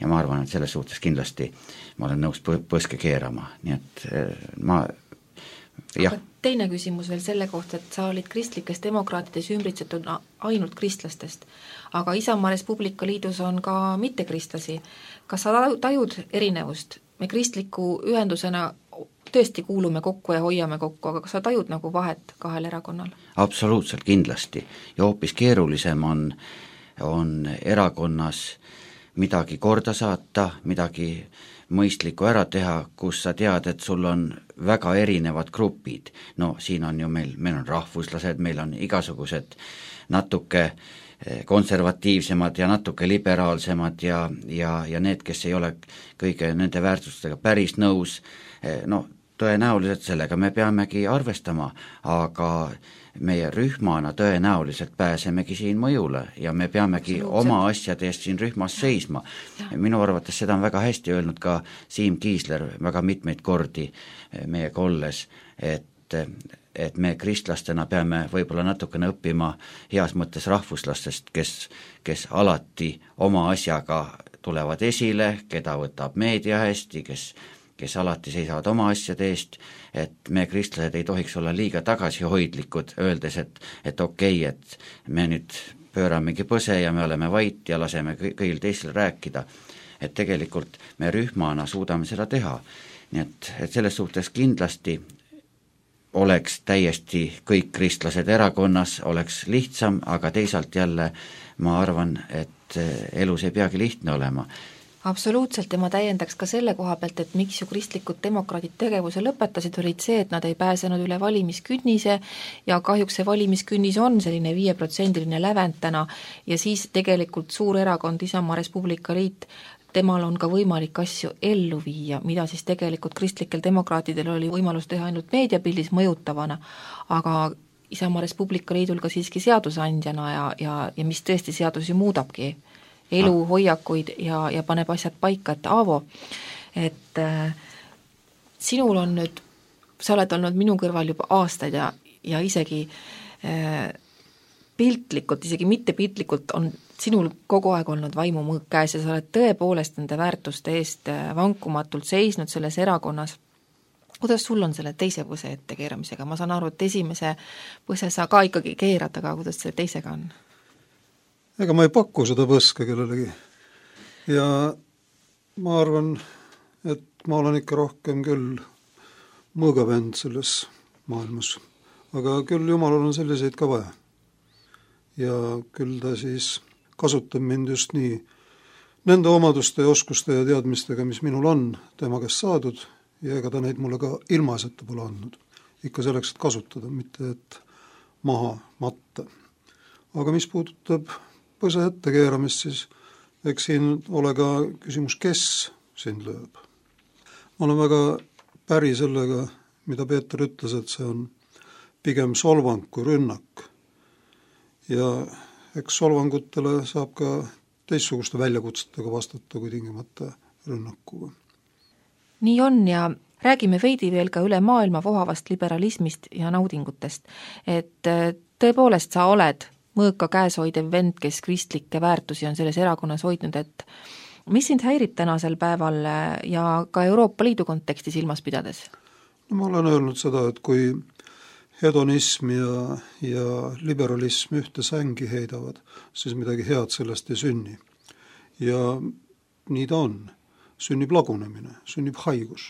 ma arvan, et selles suhtes kindlasti ma olen nõus põske keerama, nii et jah. Aga teine küsimus veel selle kohta, et sa olid kristlikes demokraatides ümbritsetud ainult kristlastest, aga Isamaa Res Publica Liidus on ka mittekristlasi. Kas sa tajud erinevust? Me kristliku ühendusena tõesti kuulume kokku ja hoiame kokku, aga kas sa tajud nagu vahet kahel erakonnal? Absoluutselt kindlasti ja hoopis keerulisem on erakonnas midagi korda saata, midagi mõistlikku ära teha, kus sa tead, et sul on väga erinevad grupid. No siin on ju meil on rahvuslased, meil on igasugused natuke konservatiivsemad ja natuke liberaalsemad ja need, kes ei ole kõige nende väärtustega päris nõus, tõenäoliselt sellega me peamegi arvestama, aga meie rühmana tõenäoliselt pääsemegi siin mõjule ja me peamegi oma asjade eest siin rühmas seisma. Minu arvates seda on väga hästi öelnud ka Siim Kiisler väga mitmeid kordi meiega olles, et me kristlastena peame võib-olla natukene õppima heas mõttes rahvuslastest, kes alati oma asjaga tulevad esile, keda võtab meedia hästi, kes alati seisavad oma asjade eest, et me kristlased ei tohiks olla liiga tagasihoidlikud, öeldes, et okei, et me nüüd pööramegi põse ja me oleme vait ja laseme kõigil teisel rääkida. Et tegelikult me rühmana suudame seda teha. Nii et selles suhtes kindlasti oleks täiesti kõik kristlased erakonnas, oleks lihtsam, aga teisalt jälle ma arvan, et elus ei peagi lihtne olema. Absoluutselt ja ma täiendaks ka selle koha pealt, et miks ju kristlikud demokraadid tegevuse lõpetasid, olid see, et nad ei pääsenud üle valimiskünnise ja kahjuks see valimiskünnis on selline 5% lävend täna ja siis tegelikult suur erakond Isamaa Res Publica Liit, temal on ka võimalik asju ellu viia, mida siis tegelikult kristlikel demokraatidel oli võimalus teha ainult meediapildis mõjutavana, aga Isamaa Res Publica Liidul ka siiski seadusandjana ja mis tõesti seadusi muudabki elu, hoiakuid ja paneb asjad paika, et Aavo, et sinul on nüüd, sa oled olnud minu kõrval juba aastaid ja isegi piltlikult, isegi mitte piltlikult, on sinul kogu aeg olnud vaimumõõk käes ja sa oled tõepoolest nende väärtuste eest vankumatult seisnud selles erakonnas. Kuidas sul on selle teise põse ette keeramisega? Ma saan aru, et esimese põse sa ka ikkagi keerad, aga kuidas selle teisega on? Ega ma ei paku seda põske kellelegi. Ja ma arvan, et ma olen ikka rohkem küll mõõgavend selles maailmas. Aga küll Jumalal on selliseid ka vaja. Ja küll ta siis kasutab mind just nii nende omaduste ja oskuste ja teadmistega, mis minul on tema käest saadud, ja ega ta neid mulle ka ilmaasjata pole andnud. Ikka selleks, et kasutada, mitte et maha matta. Aga mis puudutab põse ette keeramist, siis eks siin ole ka küsimus, kes sind lööb. Ma olen väga päri sellega, mida Peeter ütles, et see on pigem solvang kui rünnak. Ja eks solvangutele saab ka teistsuguste väljakutsetega vastata kui tingimata rünnakuga. Nii on ja räägime veidi veel ka üle maailma vohavast liberalismist ja naudingutest. Et tõepoolest sa oled mõõka käes hoidev vend, kes kristlikke väärtusi on selles erakonnas hoidnud, et mis sind häirib tänasel päeval ja ka Euroopa Liidu konteksti silmas pidades? No, ma olen öelnud seda, et kui hedonism ja liberalism ühte sängi heidavad, siis midagi head sellest ei sünni. Ja nii ta on. Sünnib lagunemine, sünnib haigus.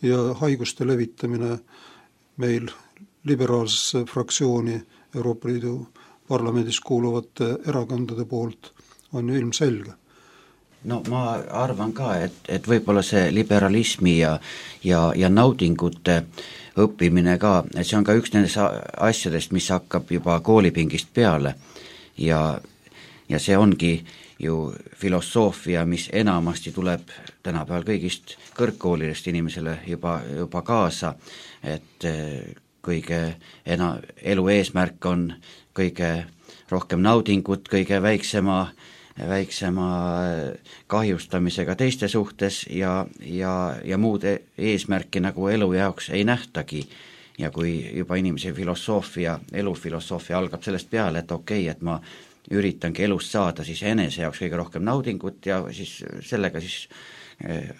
Ja haiguste levitamine meil liberaalsesse fraktsiooni Euroopa Liidu parlamendis kuuluvate erakondade poolt on ju ilmselge. No ma arvan ka, et võib-olla see liberalismi ja naudingute õppimine ka, et see on ka üks nendest asjadest, mis hakkab juba koolipingist peale ja see ongi ju filosoofia, mis enamasti tuleb tänapäeval kõigist kõrgkoolidest inimesele juba kaasa, et kõige elu eesmärk on kõige rohkem naudingut, kõige väiksema kahjustamisega teiste suhtes ja muud eesmärki nagu elu jaoks ei nähtagi. Ja kui juba inimese elufilosoofia algab sellest peale, et okei, et ma üritangi elust saada siis enese jaoks kõige rohkem naudingut ja siis sellega siis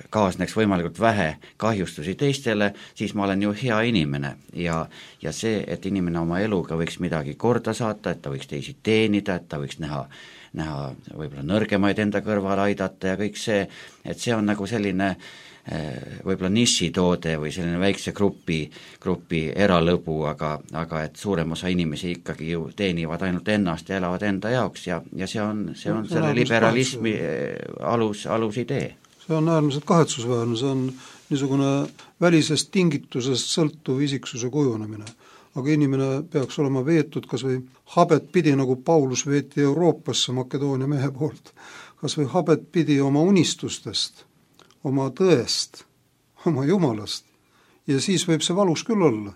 kaasneks võimalikult vähe kahjustusi teistele, siis ma olen ju hea inimene ja see, et inimene oma eluga võiks midagi korda saata, et ta võiks teisi teenida, et ta võiks näha võib-olla nõrgemaid enda kõrval aidata ja kõik see, et see on nagu selline võib-olla nišitoode või selline väikse grupi eralõbu, aga et suurem osa inimesi ikkagi ju teenivad ainult ennast ja elavad enda jaoks ja see on selle liberalismi alusidee. See on äärmiselt kahetsusväärne, see on niisugune välisest tingitusest sõltuv isiksuse kujunemine. Aga inimene peaks olema veetud kas või habet pidi, nagu Paulus veeti Euroopasse Makedoonia mehe poolt, kas või habet pidi oma unistustest, oma tõest, oma Jumalast. Ja siis võib see valus küll olla.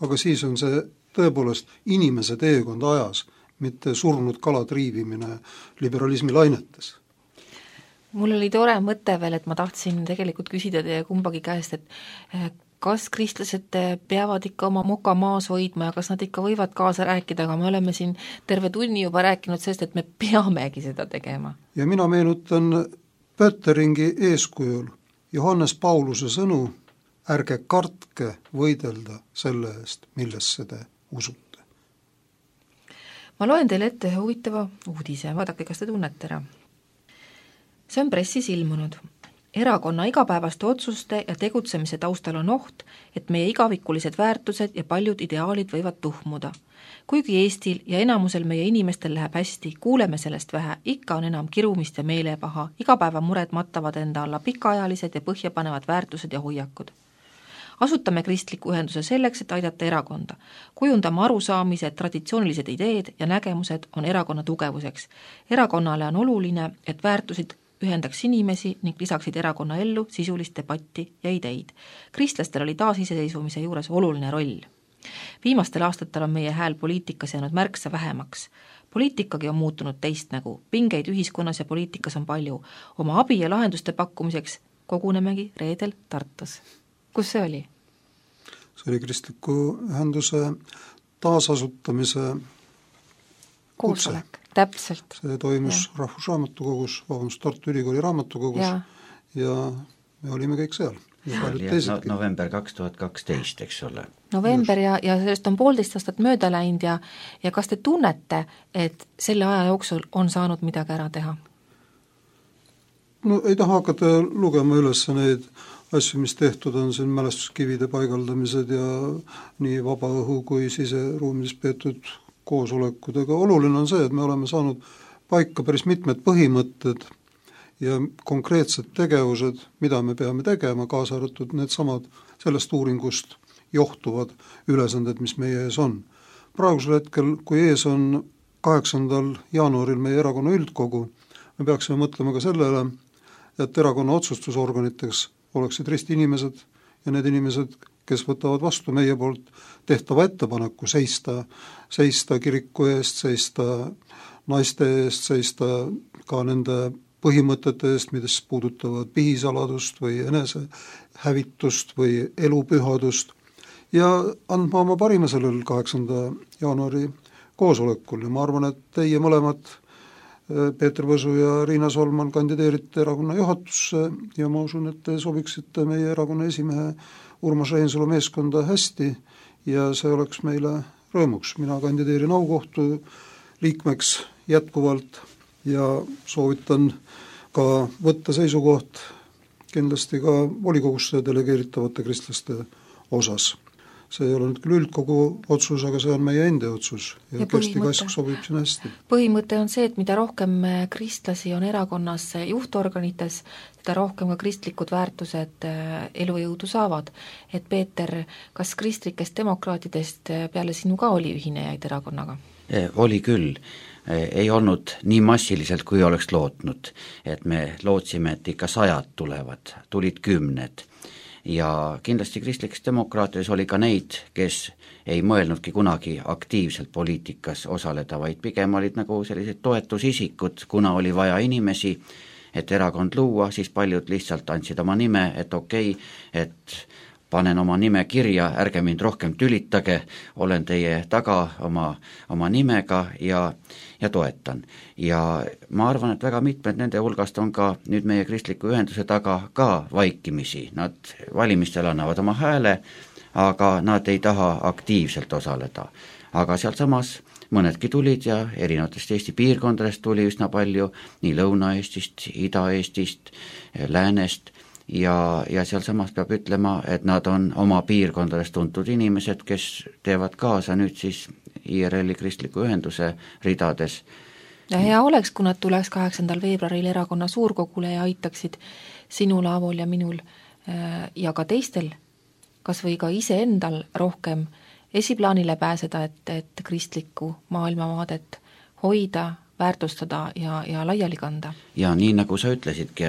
Aga siis on see tõepoolest inimese teekond ajas, mitte surnud kala triivimine liberalismi lainetes. Mul oli tore mõte veel, et ma tahtsin tegelikult küsida teie kumbagi käest, et kas kristlased peavad ikka oma moka maas hoidma ja kas nad ikka võivad kaasa rääkida, aga me oleme siin terve tunni juba rääkinud sellest, et me peamegi seda tegema. Ja mina meenutan Pötteringi eeskujul Johannes Pauluse sõnu, ärge kartke võidelda selle eest, millesse te usute. Ma loen teile ette ühe huvitava uudise, vaadake, kas te tunnete ära. See on pressis ilmunud. Erakonna igapäevaste otsuste ja tegutsemise taustal on oht, et meie igavikulised väärtused ja paljud ideaalid võivad tuhmuda. Kuigi Eestil ja enamusel meie inimestel läheb hästi, kuuleme sellest vähe, ikka on enam kirumist ja meelepaha, igapäevamured mattavad enda alla pikaajalised ja põhjapanevad väärtused ja hoiakud. Asutame kristliku ühenduse selleks, et aidata erakonda. Kujundame arusaamise, et traditsioonilised ideed ja nägemused on erakonna tugevuseks. Erakonnale on oluline, et väärtusid ühendaks inimesi ning lisaksid erakonna ellu sisulist debatti ja ideid. Kristlastel oli taasiseseisvumise juures oluline roll. Viimastel aastatel on meie hääl poliitikas jäänud märksa vähemaks. Poliitikagi on muutunud teist nägu. Pingeid ühiskonnas ja poliitikas on palju. Oma abi ja lahenduste pakkumiseks kogunemegi reedel Tartus. Kus see oli? See oli kristliku ühenduse taasasutamise koosolek, täpselt. See toimus Rahvusraamatukogus, Tartu Ülikooli raamatukogus ja me olime kõik seal. November 2012, eks ole. November ja sellest on 1,5 aastat mööda läinud ja kas te tunnete, et selle aja jooksul on saanud midagi ära teha? No ei taha hakata lugema üles neid asju, mis tehtud on, siin mälestuskivide paigaldamised ja nii vaba õhu kui siseruumis peetud koosolekud, aga oluline on see, et me oleme saanud paika päris mitmed põhimõtted ja konkreetsed tegevused, mida me peame tegema, kaasa arvatud needsamad sellest uuringust johtuvad ülesanded, mis meie ees on. Praegusel hetkel, kui ees on 8. jaanuaril meie erakonna üldkogu, me peaksime mõtlema ka sellele, et erakonna otsustusorganiteks oleksid ristiinimesed ja need inimesed, kes võtavad vastu meie poolt tehtava ettepaneku seista kiriku eest, seista naiste eest, seista ka nende põhimõtete eest, mis puudutavad pihisaladust või enesehävitust või elupühadust ja andma oma parima sellel 8. jaanuari koosolekul ja ma arvan, et teie mõlemad, Peeter Võsu ja Riina Solman, kandideerite erakonna juhatusse ja ma usun, et te sobiksite meie erakonna esimehe Urmas Reinsalu meeskonda hästi ja see oleks meile rõõmuks. Mina kandideerin aukohtu liikmeks jätkuvalt ja soovitan ka võtta seisukoht kindlasti ka volikogusse delegeeritavate kristlaste osas. See ei ole nüüd küll üldkogu otsus, aga see on meie enda otsus ja Kersti Kask sobib siin hästi. Põhimõte on see, et mida rohkem kristlasi on erakonnas juhtorganites, seda rohkem ka kristlikud väärtused elujõudu saavad. Et Peeter, kas kristlikest demokraatidest peale sinu ka oli ühinejaid erakonnaga? Oli küll. Ei olnud nii massiliselt, kui oleks lootnud, et me lootsime, et ikka 100 tulevad, tulid 10 ja kindlasti kristlikes demokraatides oli ka neid, kes ei mõelnudki kunagi aktiivselt poliitikas osaleda, vaid pigem olid nagu sellised toetusisikud, kuna oli vaja inimesi, et erakond luua, siis paljud lihtsalt andsid oma nime, et okei, et panen oma nime kirja, ärge mind rohkem tülitage, olen teie taga oma nimega ja toetan. Ja ma arvan, et väga mitmed nende hulgast on ka nüüd meie kristliku ühenduse taga ka vaikimisi. Nad valimistel annavad oma hääle, aga nad ei taha aktiivselt osaleda. Aga sealt samas mõnedki tulid ja erinevatest Eesti piirkondadest tuli üsna palju, nii Lõuna-Eestist, Ida-Eestist, Läänest, ja seal samas peab ütlema, et nad on oma piirkondades tuntud inimesed, kes teevad kaasa nüüd siis IRL-i kristliku ühenduse ridades. Ja hea oleks, kui nad tuleks 8. veebruaril erakonna suurkogule ja aitaksid sinul, Aavol ja minul ja ka teistel, kas või ka iseendal rohkem esiplaanile pääseda, et kristlikku maailmavaadet hoida, väärtustada ja laiali kanda. Ja nii nagu sa ütlesidki,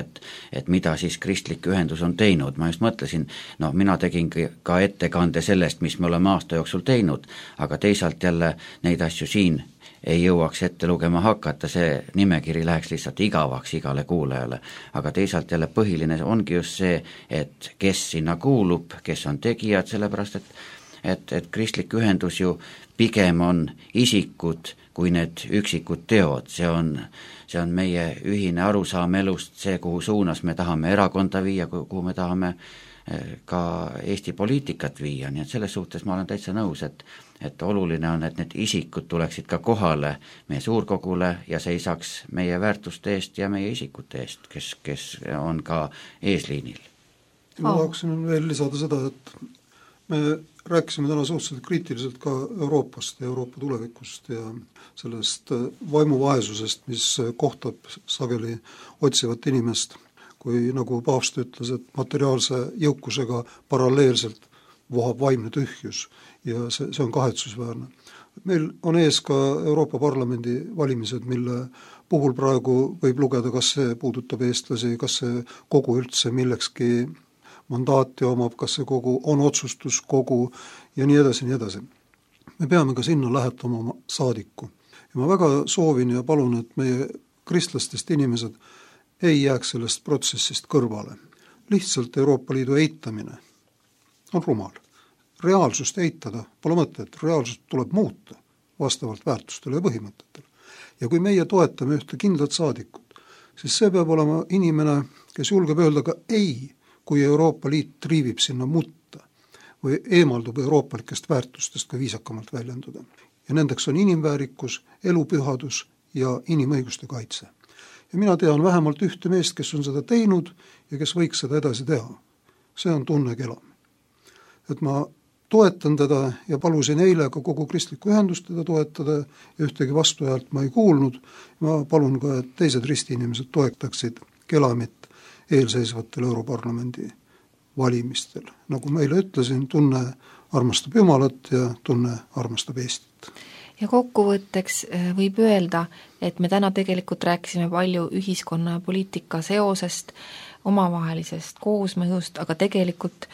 et mida siis kristlik ühendus on teinud, ma just mõtlesin, mina tegin ka ettekande sellest, mis me oleme aasta jooksul teinud, aga teisalt jälle neid asju siin ei jõuaks ette lugema hakata, see nimekiri läheks lihtsalt igavaks igale kuulajale, aga teisalt jälle põhiline ongi just see, et kes sinna kuulub, kes on tegijad, sellepärast et kristlik ühendus ju pigem on isikud kui need üksikud teod, see on meie ühine arusaam elust, see, kuhu suunas me tahame erakonda viia, kuhu me tahame ka Eesti poliitikat viia, nii et selles suhtes ma olen täitsa nõus, et oluline on, et need isikud tuleksid ka kohale meie suurkogule ja seisaks meie väärtuste eest ja meie isikute eest, kes on ka eesliinil. Ma tahaksin veel lisada seda, et me rääkisime täna suhteliselt kriitiliselt ka Euroopast ja Euroopa tulevikust ja sellest vaimuvaesusest, mis kohtab sageli otsivat inimest, kui nagu paavst ütles, et materiaalse jõukusega paralleelselt vohab vaimne tühjus ja see on kahetsusväärne. Meil on ees ka Euroopa Parlamendi valimised, mille puhul praegu võib lugeda, kas see puudutab eestlasi, kas see kogu üldse millekski mandaati omab, kas see kogu on otsustuskogu ja nii edasi, nii edasi. Me peame ka sinna lähetama oma saadiku. Ja ma väga soovin ja palun, et meie kristlastest inimesed ei jääks sellest protsessist kõrvale. Lihtsalt Euroopa Liidu eitamine on rumal. Reaalsust eitada pole mõtet, reaalsust tuleb muuta vastavalt väärtustele ja põhimõtetele. Ja kui meie toetame ühte kindlat saadikut, siis see peab olema inimene, kes julgeb öelda ka ei, kui Euroopa Liit triivib sinna mutta või eemaldub euroopalikest väärtustest, kui viisakamalt väljenduda. Ja nendeks on inimväärikus, elupühadus ja inimõiguste kaitse. Ja mina tean vähemalt ühte meest, kes on seda teinud ja kes võiks seda edasi teha. See on Tunne Kelam. Et ma toetan teda ja palusin eile ka kogu kristlikku ühendust teda toetada ja ühtegi vastuhäält ma ei kuulnud. Ma palun ka, et teised ristiinimesed toetaksid Kelamit eelseisvatel Europarlamendi valimistel. Nagu meile ütlesin, Tunne armastab Jumalat ja Tunne armastab Eestit. Ja kokkuvõtteks võib öelda, et me täna tegelikult rääkisime palju ühiskonna ja poliitika seosest, omavahelisest koosmõjust, aga tegelikult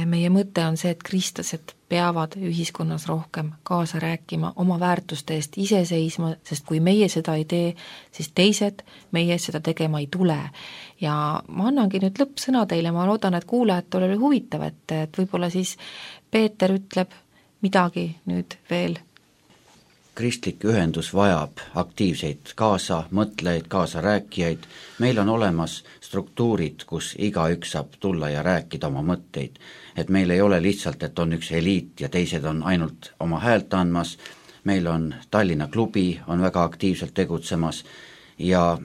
meie mõte on see, et kristlased peavad ühiskonnas rohkem kaasa rääkima, oma väärtuste eest ise seisma, sest kui meie seda ei tee, siis teised meie seda tegema ei tule. Ja ma annangi nüüd lõppsõna teile, ma loodan, et kuulajatele oli huvitav, et võib-olla siis Peeter ütleb midagi nüüd veel. Kristlik ühendus vajab aktiivseid kaasamõtlejaid, kaasarääkijaid. Meil on olemas struktuurid, kus igaüks saab tulla ja rääkida oma mõtteid. Et meil ei ole lihtsalt, et on üks eliit ja teised on ainult oma häält andmas. Meil on Tallinna klubi, on väga aktiivselt tegutsemas ja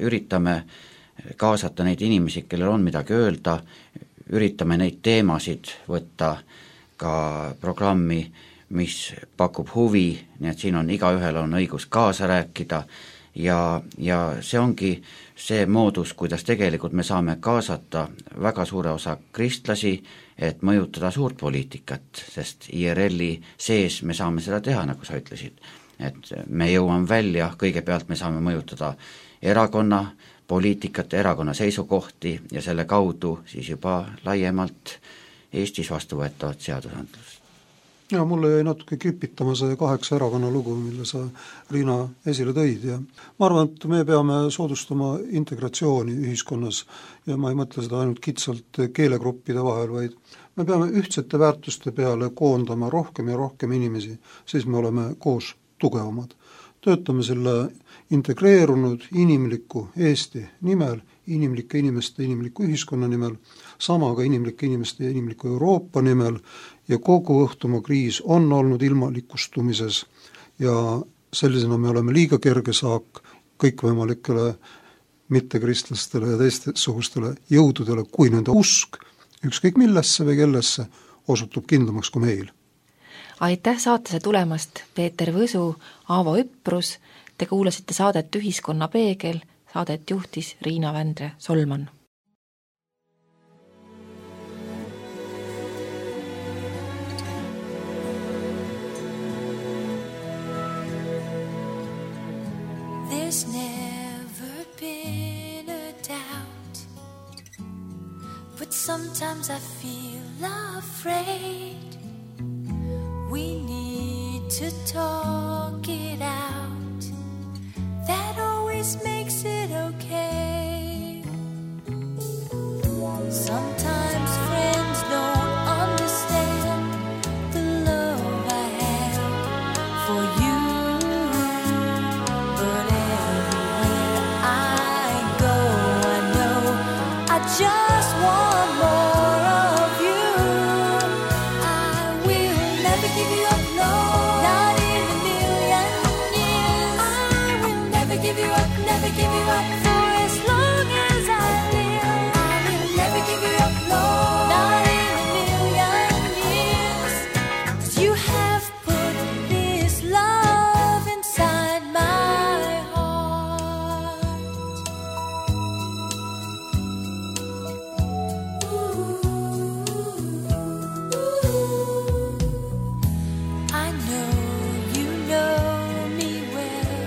üritame kaasata neid inimesi, kellel on midagi öelda, üritame neid teemasid võtta ka programmi, mis pakub huvi, nii et siin on igaühel on õigus kaasa rääkida ja see ongi see moodus, kuidas tegelikult me saame kaasata väga suure osa kristlasi, et mõjutada suurt poliitikat, sest IRL-i sees me saame seda teha, nagu sa ütlesid. Et me jõuame välja, kõigepealt me saame mõjutada erakonna poliitikat, erakonna seisukohti ja selle kaudu siis juba laiemalt Eestis vastuvõetavat seadusandlust. Ja mulle jäi natuke kripitama see 8 erakonna lugu, mille sa, Riina, esile tõid ja ma arvan, et me peame soodustama integratsiooni ühiskonnas ja ma ei mõtle seda ainult kitsalt keelegruppide vahel, vaid me peame ühtsete väärtuste peale koondama rohkem ja rohkem inimesi, siis me oleme koos tugevamad. Töötame selle integreerunud inimliku Eesti nimel, inimlike inimeste inimliku ühiskonna nimel, sama ka inimlike inimeste ja inimliku Euroopa nimel ja kogu õhtumaa kriis on olnud ilmalikustumises ja sellisena me oleme liiga kerge saak kõikvõimalikele mittekristlastele ja teistesugustele jõududele, kui nende usk ükskõik millesse või kellesse osutub kindlamaks kui meil. Aitäh saatesse tulemast, Peeter Võsu, Aavo Üprus. Te kuulasite saadet Ühiskonna peegel, saadet juhtis Riina Vändre Solman. There's never been a doubt, but sometimes I feel afraid. We need to talk it out. That always makes it okay. Sometimes friends don't understand the love I have for you. But everywhere I go, I know I just want more of you. I will never give you up, no, not in a million years. I will never give you up, never give you up for as long as I live. I will never give you up, no, not in a million years. 'Cause you have put this love inside my heart. I know you know me well.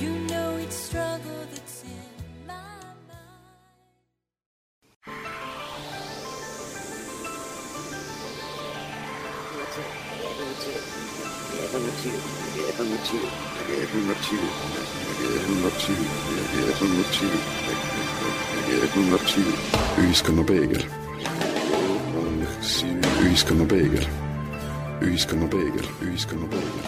You know each struggle that's in my mind. Ühiskonna peegel. Ühiskonna peegel. Ühiskonna peegel. Ühiskonna peegel.